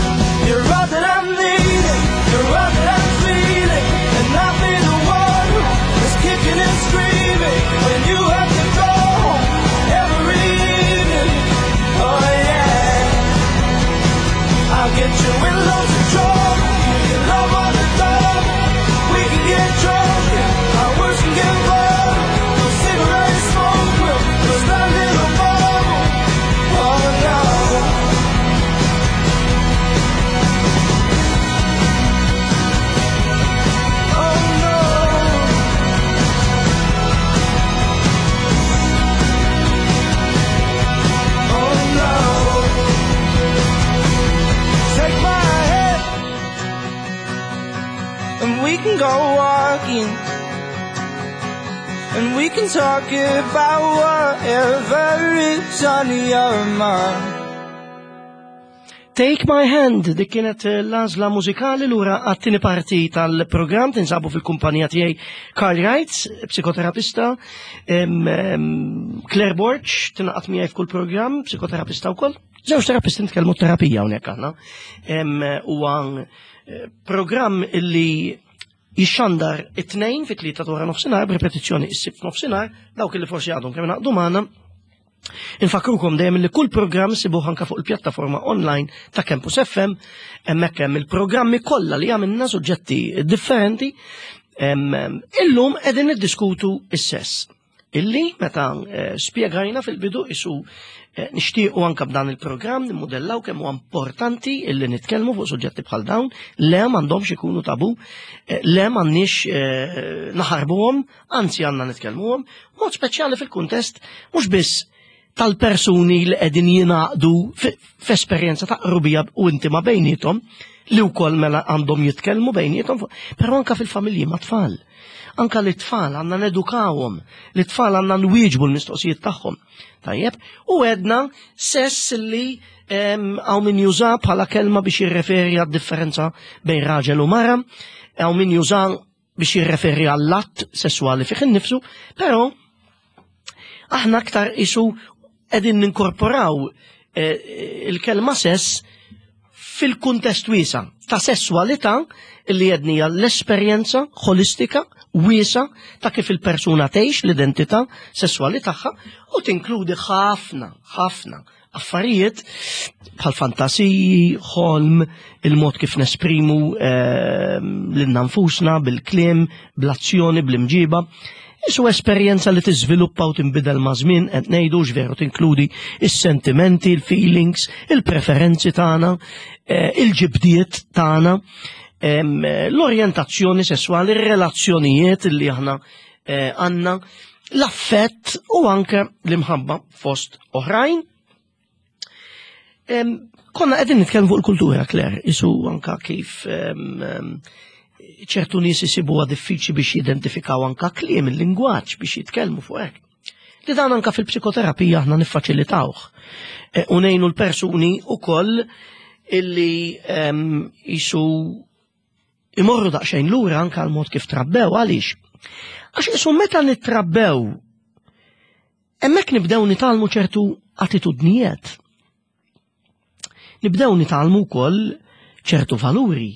You're all that I'm needing, you're all that I'm feeling, and I'll be the one who's kicking and screaming when you have to go home every evening. Oh yeah, I'll get you in loads of trouble. You can love on the double. We can get drunk, our words can get verbal. No cigarette smoke will burst that little bubble. Oh no. Oh no. Oh no. Take my hand and we can go walking, and we can talk about whatever is on your mind. Take My Hand, dik kienet l-għażla mużikali lura għat-tieni parti tal-programm. Tinsabu fil-kumpanija tiegħi Karl Wright, psikoterapista, em, em, Claire Borg, tingħaqad miegħi f'kull programm, psikoterapista wkoll. Żewġ terapisti nitkellmu terapija hawnhekk aħna. Em, Huwa eh, programm illi jixxandar it-tnejn fit-tlieta ta' wara nofsinhar, b'ripetizzjoni is-sibt nofsinhar, dawk illi forsi għadhom kemm ingħaqdu magħna. Infakrukom dejjem li kull programm sibuh anka fuq il-pjattaforma online ta' Campus F M, hemmhekk hemm il-programmi kollha li għamilna, suġġetti differenti. Em, em, Illum qegħdin niddiskutu is-sess. Illi meta eh, spjegajna fil-bidu isu eh, nixtiequ anka b'dan il-programm nimmudellaw kemm huwa importanti illi nitkellmu fuq suġġetti bħal dawn, le m'għandhomx ikunu tabu, eh, le m'għandniex eh, naħarbuhom, anzi għandna nitkellmuhom, mod speċjali fil-kuntest mhux biss tal-persuni li qegħdin jingħaqdu f'esperjenza ta' qrubija u intima bejniethom, li wkoll mela għandhom jitkellmu bejniethom, però anka fil-familji ma' tfal. Anka li tfal għandna nedukawhom, li tfal għandna nwieġbu l-mistoqsijiet tagħhom. Tajjeb, u għedna sess li hawn min juża bħala kelma biex jirreferi għad-differenza bejn raġel u mara, hawn min juża biex jirreferi għall-att sessuali fih innifsu, però aħna aktar isu qegħdin ninkorporaw eh, il-kelma sess fil-kuntest wiesa ta' sessualità li jednija l-esperjenza ħolistika wiesa ta' kif il-persuna tgħix l-identità sessuali tagħha u tinkludi ħafna, ħafna affarijiet bħal fantasiji, ħolm, il-mod kif nesprimu eh, lilna nfusna bil-kliem, bl-azzjoni, bl-imġiba. Isu esperjenza li tiżviluppa u tinbidel ma' żmien, qed ngħidu veru tinkludi is-sentimenti, il-feelings, il-preferenzi tagħna, eh, il-ġibdiet tagħna, em, l-orjentazzjoni sessuali, ir-relazzjonijiet li aħna eh, għandna, l-affett u anke l-imħabba fost oħrajn. Em, Konna qegħdin nitkellmu fuq il-kultura, Claire, isu anka kif em, em, ċertu nies isibuha diffiċli biex jidentifikaw anka kliem il-lingwaġġ biex jitkellmu fuq hekk. Li dan anka fil-psikoterapija aħna niffaċilitawh. E, U ngħinu l-persuni ukoll illi em, isu imorru daqsxejn lura anka l-mod kif trabbew. Għaliex? Għax isu meta nittrabbew hemmhekk nibdew nitgħallmu ċertu attitudnijiet. Nibdew nitgħallmu wkoll ċertu valuri.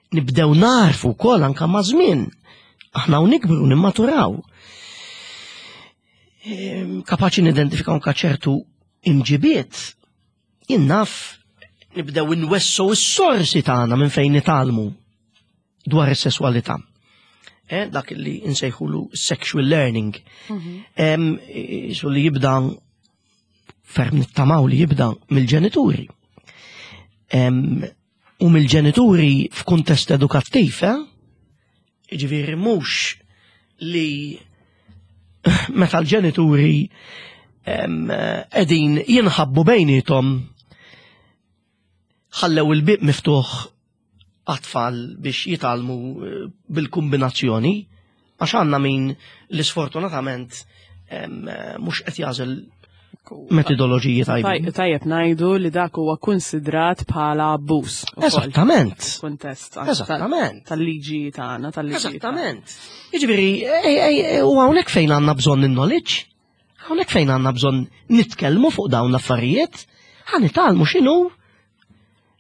Nibdew narfu wkoll anka ma' żmien. Aħna u nikbru, nimmaturaw. Ehm, Kapaċi nidentifikaw anka ċertu imġibiet. Jien naf nibdew inwessu s-sorsi tagħna minn fejn nitgħallmu dwar is-sesswalità. Eh, dak li insejħulu sexual learning. Em, Isu li jibda ferm nittamaw li jibda mill-ġenituri. Em, U mill-ġenituri f'kuntest edukattiv, eh? Ġifieri mhux li meta l-ġenituri em, qegħdin jinħabbu bejnietom ħallew il-bib miftuħ għat-tfal biex jitgħallmu eh, bil-kombinazzjoni, għax għandna min li sfortunatament em, eh, mhux qed jagħżel metodoloġiji tajbin. Tajjeb ngħidu li dak huwa konsidrat bħala abbuż ukoll. Eżattament. Kuntest anke Eżattament. tal-liġi tagħna, tal-liġi. Eżattament. Jiġifieri, ej, ej, u hawnhekk fejn għandna bżonn il-knowledge. Hawnhekk fejn għandna bżonn nitkellmu fuq dawn l-affarijiet, ħa nitgħallmu x'inhu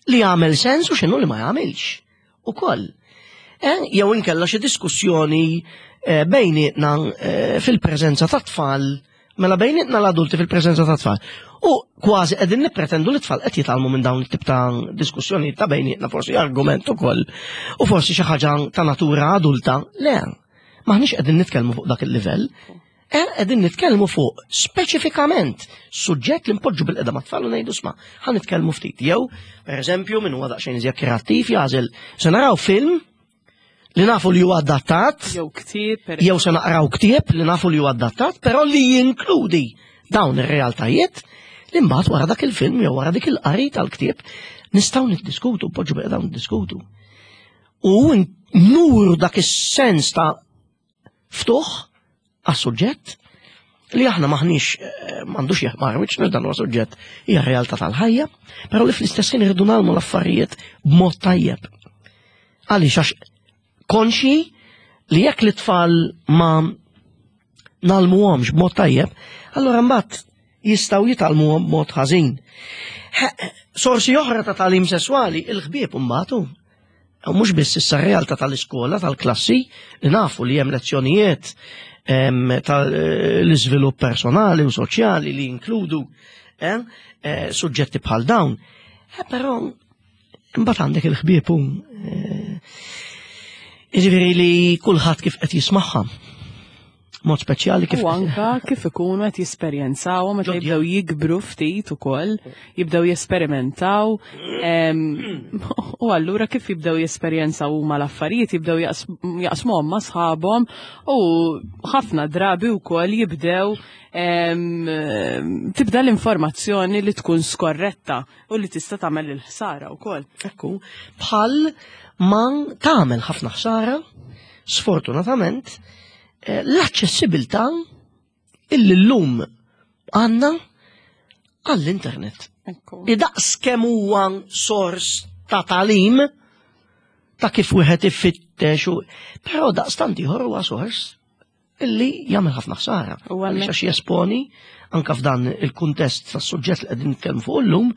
li jagħmel sens u x'inhu li ma jagħmilx. Ukoll. Eh, jew inkella xi diskussjoni eh, bejnietna eh, fil-preżenza ta' tfal, mela bejnietna l-adulti fil-preżenza ta' tfal. U kważi qegħdin nippretendu li tfal qed jitgħallmu minn dawn it-tip ta' diskussjoni ta' bejnietna, forsi argument ukoll u forsi xi ħaġa ta' natura adulta. Le, maħniex qegħdin nitkellmu fuq dak il-livell. Eh, qegħdin nitkellmu fuq speċifikament suġġett li npoġġu bilqiegħda mat-tfal u ngħidu, "Isma', ħa nitkellmu ftit." Jew, per eżempju, min huwa daqsxejn iżjed kreattiv jagħżel se naraw film li nafu li huwa adattat, Jew ktieb, per jew se naqraw ktieb li nafu li huwa adattat, però li jinkludi dawn ir-realtajiet li mbagħad wara dak il-film jew wara dik il-qari tal-ktieb nistgħu niddiskutu, poġġu bilqiegħda niddiskutu. U nuru dak is-sens ta' ftuħ għas-suġġett li aħna maħniex eh, m'għandux jeħmar wiċċna, dan huwa suġġett, hija realtà tal-ħajja, però li fl-istess ħin irridu nagħmlu l-affarijiet b'mod tajjeb. Għaliex? Għax konxi li jekk l-tfal ma ngħallmuhomx b'mod tajjeb, allora mbagħad jistgħu jitgħallmuhom b'mod ħażin. Sorsi oħra ta' tagħlim sesswali, il-ħbieb mbagħad. U mhux biss issa realtà tal-iskola, tal-klassi, li nafu li hemm lezzjonijiet tal-iżvilupp personali u soċjali li jinkludu eh, eh, suġġetti bħal dawn. Eh, però imbagħad għandek il-ħbieb u jiġifieri li kulħadd kif qed jismagħha. Mod speċjali kif U anka kif ikunu qed jesperjenzaw meta jibdew jikbru ftit ukoll, jibdew jesperimentaw. em, U allura kif jibdew jesperjenzaw huma l-affarijiet, jibdew jaqsmuhom ma' sħabhom u ħafna drabi wkoll jibdew em, tibda l-informazzjoni li tkun skorretta u li tista' tagħmel il-ħsara wkoll. Ekku, bħal ma tagħmel ħafna ħsara, sfortunatament, eh, l-aċċessibilità illi llum għandna għall-internet. Ekku. Li daqs kemm huwa sors ta' tagħlim ta' kif wieħed ifittex u però daqstant ieħor huwa sors illi jagħmel ħafna ħsara. U Għaliex għalhekk- għax jesponi anka f'dan il-kuntest tas-suġġett li qegħdin nitkellmu fuq illum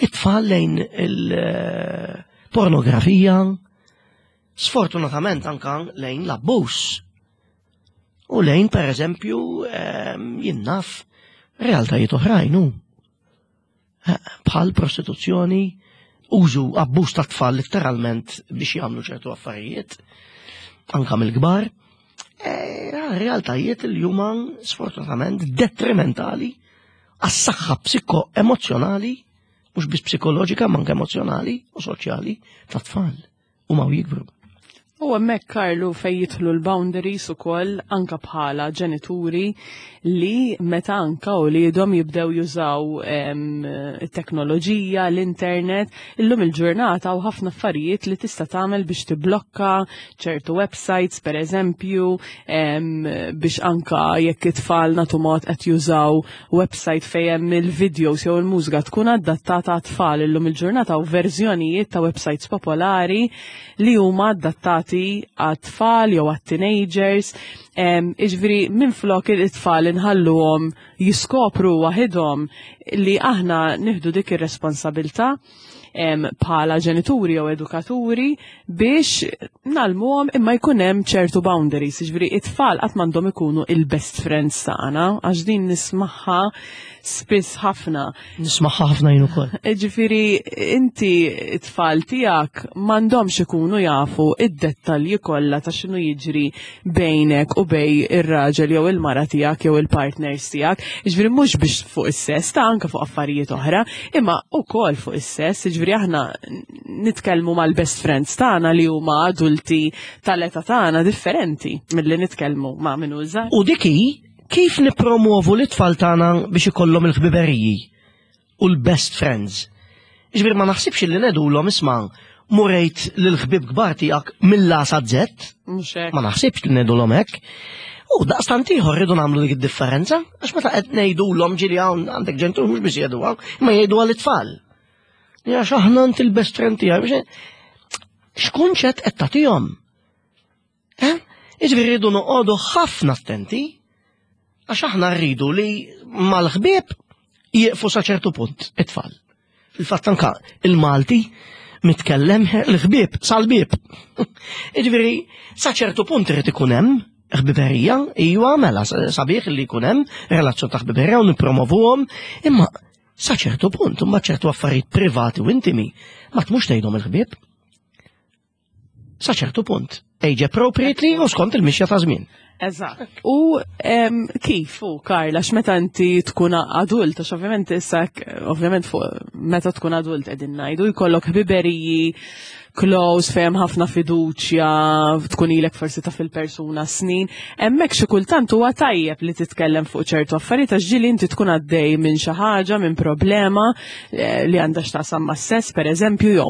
it-tfal lejn il-pornografija, sfortunatament anka lejn l-abbuż. U lejn per eżempju ehm, jien naf realtajiet oħrajn hu. Eh, Bħal prostituzzjoni, użu abbuż ta' tfal letteralment biex jagħmlu ċertu affarijiet, anka mill-kbar. Eh, realtajiet li huma sfortunatament detrimentali għas-saħħa psiko-emozjonali, mhux biss psikoloġika, ma anke emozjonali u soċjali ta' tfal u ma jikbru. U hemmhekk, Karlu, fej jidħlu l-boundaries ukoll anka bħala ġenituri li meta anka u li jidhom jibdew jużaw em, it-teknoloġija, l-internet, illum il-ġurnata u ħafna affarijiet li tista' tagħmel biex tiblokka ċertu websites, per eżempju, em, biex anka jekk it-tfal nagħtu mod qed jużaw website fejn hemm il-videos jew il-mużika tkun adattata għat-tfal. Illum il-ġurnata u verżjonijiet ta' websites popolari li huma adattati għat-tfal jew għat-teenagers. Iġifieri minn flok it-tfal inħalluhom jiskopru waħidhom, li aħna nieħdu dik ir-responsabilità em, bħala ġenituri jew edukaturi biex ngħallmuhom, imma jkun hemm ċertu boundaries. Jiġifieri it-tfal qatt m'għandhom ikunu il-best friends tagħna, għax din nismagħha spiss ħafna. Nismagħha ħafna jien ukoll. Ġifieri, inti it-tfal tiegħek m'għandhomx ikunu jafu id-dettalji kollha ta' x'inhu jiġri bejnek u bejn ir-raġel jew il-mara tiegħek jew il-partners tiegħek. Ġifieri mhux biex fuq is-sess, ta' anke fuq affarijiet oħra, imma ukoll fuq is-sess, ġifieri aħna nitkellmu mal-best friends tagħna li huma adulti tal-età tagħna differenti milli nitkellmu ma' min hu żgħar. U dik hi kif nipromuovu l-tfal tagħna biex ikollhom il-ħbiberiji u l-best friends. Ġifieri ma naħsibx li ngħidulhom, "Isma', mur għid lill-ħbieb kbar tiegħek mill-A sa Z." Mhux hekk. Ma naħsibx li ngħidulhom hekk. U daqstant ieħor rridu nagħmlu dik id-differenza, għax meta qed ngħidulhom, ġieli hawn għandek ġenitur mhux biex jgħiduha, imma jgħiduha lit-tfal. Għax aħna inti l-best friend tiegħi biex x'kunċett qed tagħtihom? Eh? Jiġifieri rridu noqogħdu ħafna attenti. Għax aħna rridu li mal-ħbieb jieqfu sa ċertu punt it-tfal. Fil-fatt anka il-Malti mitkellem l-ħbieb sal-bieb. Jiġifieri sa ċertu punt irid ikun hemm ħbiberija, iwa mela sabiħ li jkun hemm relazzjoni ta' ħbiberija u nippromovuhom, imma sa ċertu punt, imma ċertu affarijiet privati u intimi, ma tmux tgħidhom il-ħbieb. Sa ċertu punt. Age appropriately u skont il-mixja ta' żmien. Eżatt. U em, kif u Karla, x'meta inti tkun adult, għax ovvjament issa ovvjament fuq meta tkun adult qegħdin ngħidu jkollok ħbiberiji close fejn ħafna fiduċja, tkun ilek forsi ta' fil-persuna snin, hemmhekk xi kultant huwa tajjeb li titkellem fuq ċertu affarijiet għax ġieli inti tkun għaddej minn xi ħaġa, minn problema eh, li għandha x'taqsam mas-sess pereżempju jew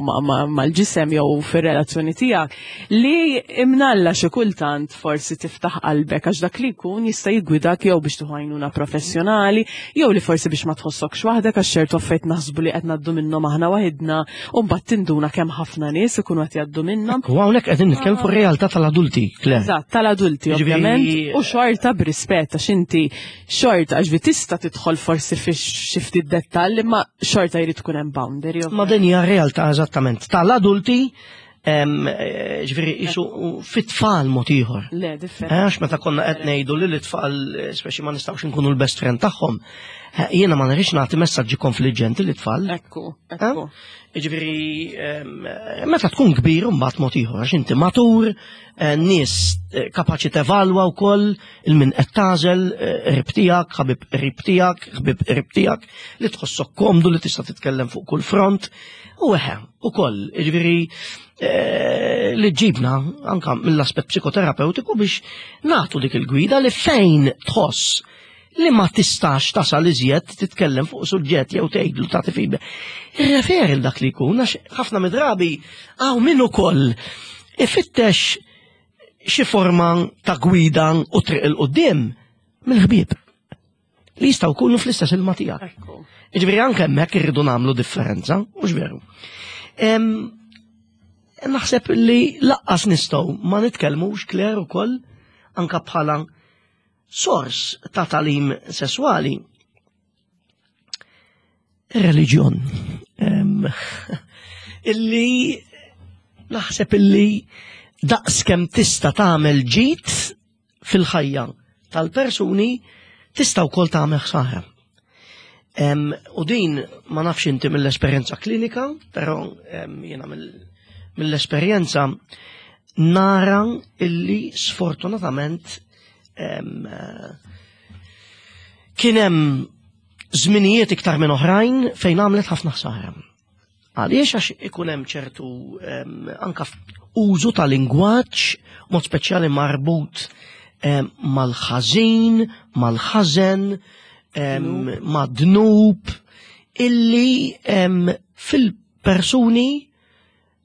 mal-ġisem jew fir-relazzjoni tiegħek li imnalla xi kultant forsi tiftaħ qalbek għax dak li jkun jista' jiggwidak jew biex tieħu għajnuna professjonali jew li forsi biex ma tħossokx waħdek għax ċertu affarijiet naħsbu li qed ngħaddu minnhom aħna waħidna u mbagħad tinduna kemm ħafna nies ikunu qed jgħaddu minnhom. U hawnhekk qegħdin nitkellmu fuq realtà tal-adulti, Claire. Eżatt, tal-adulti ovvjament, u xorta b'rispett għax inti xorta għax tista' tidħol forsi fi xi ftit dettall imma xorta jrid tkun hemm boundary. Ma din hija realtà eżattament tal-adulti ġifieri isu fit-tfal mod ieħor. Le, differenti. Għax meta konna qed ngħidu li l-tfal speċi ma nistgħux nkunu l-best friend tagħhom. Jiena ma nridx nagħti messaġġi konfliġġenti lit-tfal. Ekku, ekku. Ġifieri meta tkun kbir mbagħad mod ieħor għax inti matur, nies kapaċi tevalwa wkoll il-min qed tagħżel qrib tiegħek, ħabib qrib tiegħek, ħbib qrib tiegħek, li tħossok komdu li tista' titkellem fuq kull front. U eħe, ukoll, ġifieri li ġibna anka mill-aspett psikoterapeutiku biex nagħtu dik il-gwida li fejn tħoss li ma tistax tasal iżjed titkellem fuq suġġett jew tgħidlu tagħti feedback. Irreferi dak li jkun għax ħafna midrabi hawn min ukoll ifittex xi forma ta' gwida u triq 'il quddiem mill-ħbieb li jistgħu jkunu fl-istess ilma tiegħek. Jiġifieri anke hemmhekk irridu nagħmlu differenza, mhux veru. Naħseb li lanqas nistgħu ma nitkellmux Claire ukoll anka bħala sors ta' tagħlim sessuali. Ir-reliġjon. Illi naħseb illi daqs kemm tista' tagħmel ġid fil-ħajja tal-persuni tista' wkoll tagħmel ħsara. Em, U din ma nafx inti mill-esperjenza klinika, però em, jiena mill- mill-esperjenza nara illi sfortunatament em, eh, kien hemm żminijiet iktar minn oħrajn fejn għamlet ħafna ħsara. Għaliex għax ikun hemm ċertu em, anka użu ta' lingwaġġ mod speċjali marbut em, mal-ħażin, mal-ħażen, em, mad-dnub, illi em, fil-persuni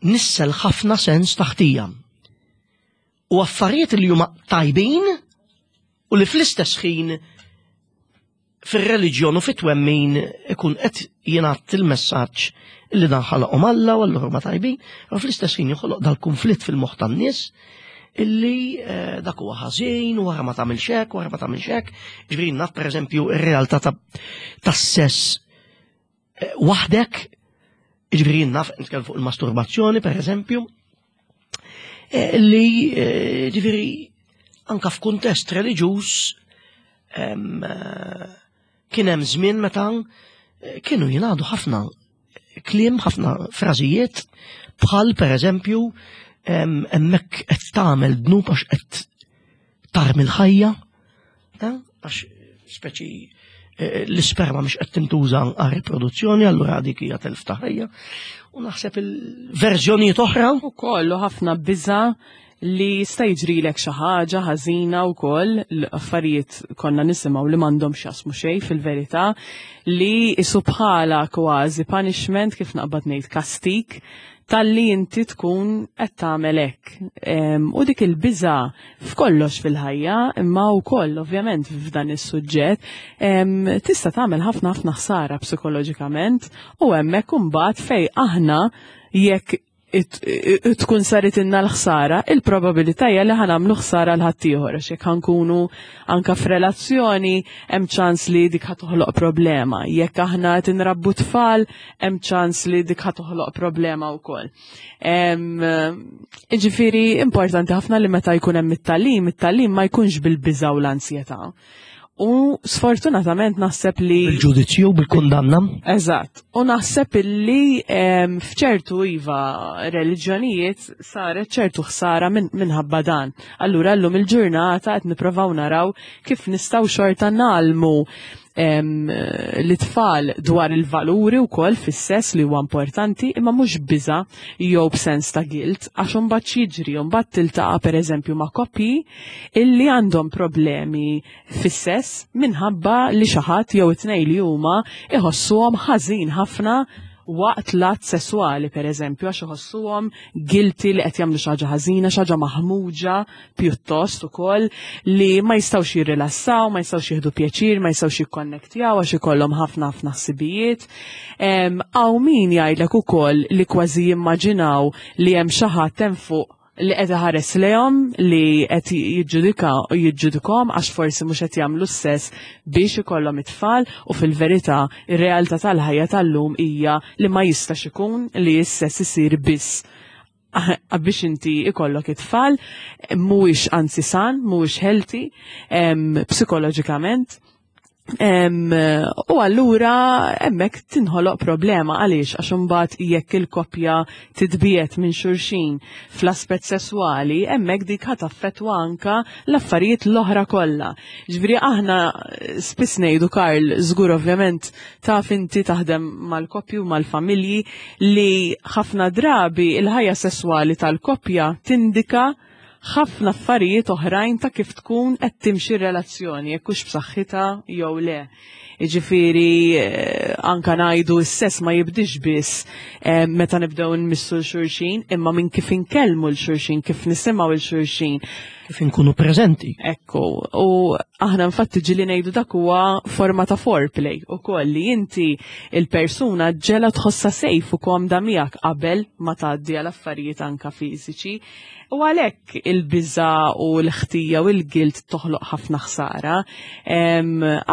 nissel ħafna sens ta' ħtija. U affarijiet li huma tajbin u li fl-istess ħin fir-reliġjon u fit-twemmin ikun qed jingħad il-messaġġ illi dan ħalaqhom Alla u allura huma tajbin, u fl-istess ħin joħloq dal-konflitt fil-moħħ tan-nies illi eh, dak huwa ħażin, u wara ma tagħmilx hekk, wara ma tagħmilx hekk. Ġifieri naf pereżempju ir-realtà ta' tas-sess eh, waħdek, ġifieri naf nitkellem fuq il-masturbazzjoni pereżempju, eh, li eh, ġifieri anka f'kuntest reliġjuż em, eh, kien hemm żmien meta eh, kienu jingħadu ħafna kliem, ħafna frażijiet bħal pereżempju em, hemmhekk qed tagħmel dnub għax qed tarmi l-ħajja, eh, għax speċi eh, l-isperma mhux qed tintuża għal riproduzzjoni, allura dik hija telf ta' ħajja. U naħseb il-verżjonijiet oħra U kollu ħafna biża li jista' jiġrilek xi ħaġa ħażina wkoll l-affarijiet konna nisimgħu li m'għandhom x'jaqsmu xejn fil-verità li isu bħala kważi punishment kif naqbad ngħid kastik talli inti tkun qed tagħmel hekk. Em, U dik il-biża f'kollox fil-ħajja, imma wkoll ovvjament f'dan is-suġġett, em, tista' tagħmel ħafna ħafna ħsara psikoloġikament u hemmhekk imbagħad fej aħna jekk Tkun saret inna l-ħsara, il-probabilità hija li ħa nagħmlu ħsara 'l ħaddieħor, għax jekk ħa nkunu anka f'relazzjoni hemm ċans li dik ħa toħloq problema. Jekk aħna qed inrabbu tfal, hemm ċans li dik ħa toħloq problema wkoll. Ġifieri importanti ħafna li meta jkun hemm it-tagħlim, it-tagħlim ma jkunx bil-biża' u l-ansjetà. U sfortunatament naħseb li Bil-ġudizzju, bil-kundanna. Eżatt. U naħseb illi fċertu iva reliġjonijiet saret ċertu ħsara minħabba dan. Allura llum il-ġurnata qed nipprovaw naraw kif nistgħu xorta ngħallmu l-tfal dwar il-valuri wkoll fis-sess li huwa importanti, imma mhux biża jew b'sens ta' guilt, għax imbagħad jiġri, mbagħad tiltaqa' pereżempju ma' koppji illi għandhom problemi fis-sess minħabba li xi ħadd jew it-tnejn li huma iħossuhom ħażin ħafna waqt l-att sessuali, per eżempju, għax iħossuhom guilty li qed jagħmlu xi ħaġa ħażina, xi ħaġa maħmuġa pjuttost ukoll, li ma jistgħux jirrilassaw, ma jistgħux jieħdu pjaċir, ma jistgħux jikkonnektjaw għax ikollhom ħafna ħafna ħsibijiet. Hawn min jgħidlek ukoll li kważi jimmaġinaw li hemm xi ħadd hemm fuq li qed iħares lejhom, li qed jiġġudika u jiġġudikhom għax forsi mhux qed jagħmlu s-sess biex ikollhom it-tfal, u fil-verità ir-realtà tal-ħajja tal-lum hija li ma jistax ikun li s-sess isir biss biex inti ikollok it-tfal, mhuwiex anzi san, mhuwiex healthy psikoloġikament. U allura hemmhekk tinħoloq problema. Għaliex? Għax imbagħad jekk il-koppja titbiet minn xulxin fl-aspett sesswali, hemmhekk dik ħa taffettwa anka l-affarijiet l-oħra kollha. Ġifieri aħna spiss ngħidu, Karl, żgur ovvjament taf inti taħdem mal-koppji u mal-familji, li ħafna drabi il-ħajja sesswali tal-koppja tindika ħafna affarijiet oħrajn ta' kif tkun qed timxi r-relazzjoni, jekk hux b'saħħitha jew le. Jiġifieri eh, anka ngħidu s-sess ma jibdix biss eh, meta nibdew nmissu 'l xulxin, imma minn kif inkellmu 'l xulxin, kif nisimgħu 'l xulxin. Kif inkunu preżenti. Ekku, u aħna infatti ġieli ngħidu dak huwa forma ta' foreplay ukoll, li inti il-persuna ġela tħossa safe u komda miegħek qabel ma tgħaddi għal affarijiet anka fiżiċi. U għalhekk il-biża u l-ħtija u l-guilt toħloq ħafna ħsara.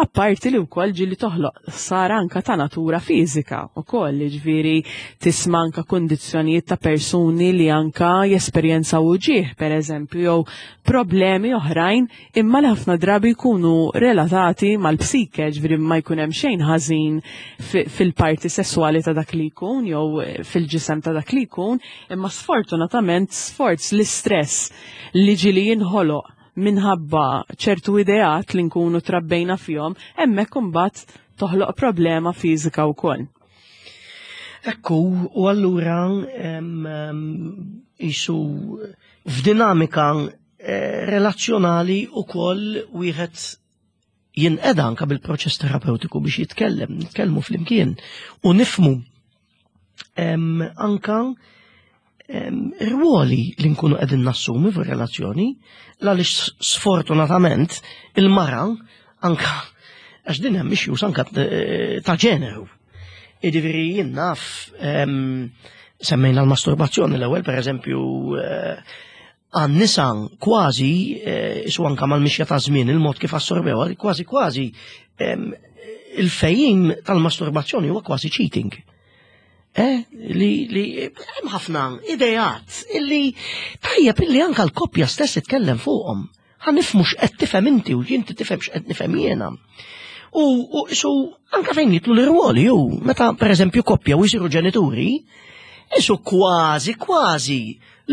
Apparti li wkoll ġieli toħloq ħsara anka ta' natura fiżika ukoll, ġifieri tisma' anka kundizzjonijiet ta' persuni li anka jesperjenzaw uġigħ, pereżempju, jew problemi oħrajn, imma li ħafna drabi jkunu relatati mal-psike, ġifieri ma jkun hemm xejn ħażin fil-parti sessuali ta' dak li jkun jew fil-ġisem ta' dak li jkun, imma sfortunatament sforz l-istress li ġieli jinħoloq minħabba ċertu ideat li nkunu trabbejna fihom, hemmhekk imbagħad toħloq problema fiżika wkoll. Ekku, u allura jisu f'dinamika eh, relazzjonali u koll wieħed jinqeda anka bil-proċess terapeutiku biex jitkellem, nitkellmu flimkien u nifhmu anka rwoli li nkunu qegħdin nassumi fir-relazzjoni, għaliex sfortunatament il-mara anka, għax din hemm issues anka eh, ta' ġeneru. Jiġifieri jien naf, semmejna l-masturbazzjoni l-ewwel, pereżempju, eh, għan-nisa kważi, eh, su anka mal-mixja ta' żmien il-mod kif assorbew, kważi kważi il-fehim tal-masturbazzjoni huwa kważi cheating. Eh, li li hemm ħafna idejat illi tajjeb illi anka l-koppja stess titkellem fuqhom. Ħa nifhmu x'qed tifhem inti u inti tifhem x'qed nifhem jiena. U, u su anka fejn jidħlu l-irwoli ju, meta pereżempju koppja u jsiru ġenituri, isu kważi kważi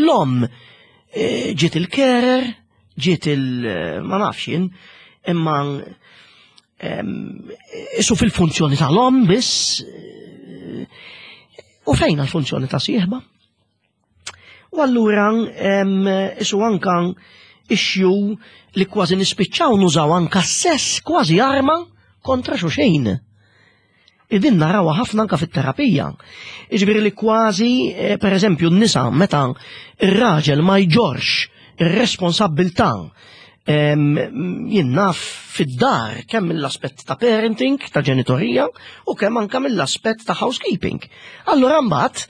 l-om eh, ġiet il-carer, ġiet il- ma nafx jien, imma isu fil-funzjoni tal-om biss, eh, u fejn l-funzjoni ta' sieħba? U allura isu anka issue li kważi nispiċċaw nużaw anka sess kważi arma kontra xulxin. Din narawha ħafna anka fit-terapija. Iġifieri li kważi, eh, per eżempju, n-nisa meta ir-raġel ma jġorx ir-responsabbiltà jien naf fid-dar, kemm mill-aspett ta' parenting, ta' ġenitorija, u kemm anka mill-aspett ta' housekeeping. Allura mbagħad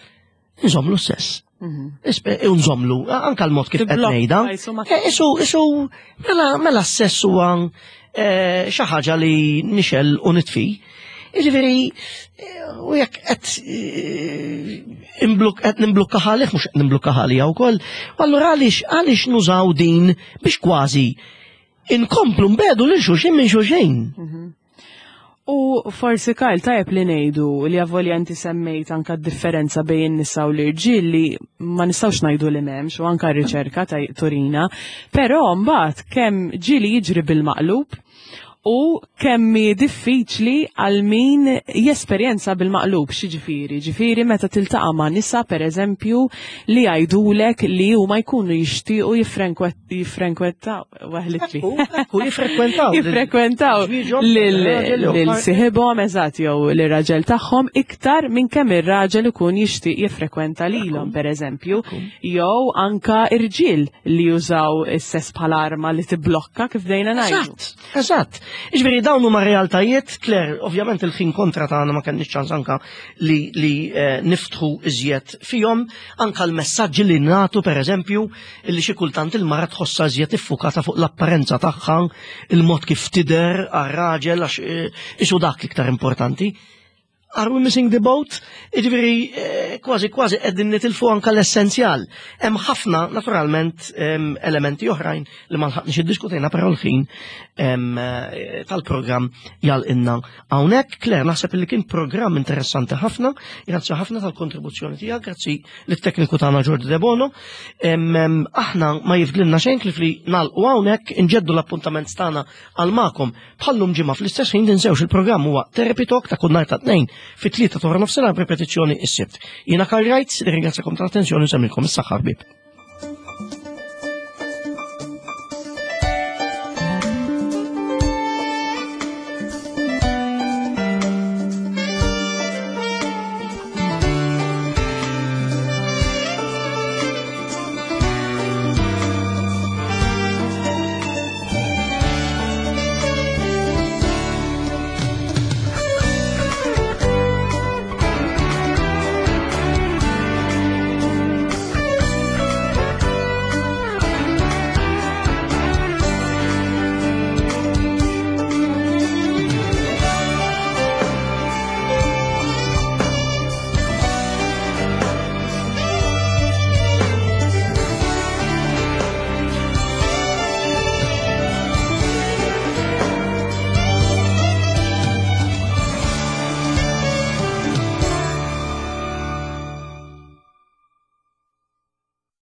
nżomlu sess. Ispe- Unżomlu, anka l-mod kif qed Tiblokka, ngħidha. jisu ma- Eh, Isu, isu, mela, mela s-sess huwa eh, xi ħaġa li nixgħel u nitfi. Jiġifieri, eh, u jekk qed eh, imbluk qed nimblukka ħalih mhux qed nimblukka ħalija wkoll. U allura għaliex għaliex nużaw din biex kważi inkomplu nbiegħdu lil xulxin minn xulxin. U forsi, Karl, tajjeb li ngħidu li avolja inti semmejt anka differenza bejn in-nisa u l-irġiel li ma nistgħux ngħidu li m'hemmx u anka r-riċerka ta' turina, però mbagħad kemm ġieli jiġri bil-maqlub u kemm hi diffiċli għal min jesperjenza bil-maqlub. Xi ġifieri? Ġifieri meta tiltaqa' ma' nisa, per eżempju, li jgħidulek li huma jkunu jixtiequ jiffrenkwentaw, waħlitli. Ekku, jiffrekwentaw. Jiffrekwentaw lil siħibhom, eżatt, jew lir-raġel tagħhom iktar minn kemm ir-raġel ikun jixtieq jiffrekwenta lilhom, pereżempju, jew anka irġiel li jużaw is-sess bħala arma li tibblokka, kif dejna ngħidu. Eżatt, eżatt. Iġifieri dawn huma realtajiet, Claire, ovvjament il-ħin kontra tagħna, ma kenniex ċans anka li, li eh, niftħu iżjed fihom, anka l-messaġġi li nagħtu, pereżempju, li xi kultant il-mara tħossha iżjed iffukata fuq l-apparenza tagħha, il-mod kif tidher għar-raġel għax eh, isu dak l-iktar importanti. Are we missing the boat? Iġifieri, eh, kważi kważi qegħdin nitilfu anka l-essenzjal. Hemm ħafna, naturalment, em, elementi oħrajn li ma lħaqniex iddiskutejna, però l-ħin em, eh, tal-programm jgħalqilna hawnhekk. Claire, naħseb li kien programm interessanti ħafna. Grazzi ħafna tal-kontribuzzjoni tiegħek, grazzi lit-tekniku tagħna Jordi De Bono. Em, em, Aħna ma jifdlilna xejn ħlief li nagħlqu hawnhekk, inġeddu l-appuntament tagħna għal magħkom bħallum ġimgħa fl-istess ħin. Tinsewx, il-programm huwa Therapy Talk ta' kull nhar ta' Tnejn fit-tlieta ta' nofsinhar, ripetizzjoni is-Sibt. Jiena Karl Wright, ringrazzjakom tal-attenzjoni u nsellmilkom, is-saħħa ħbieb.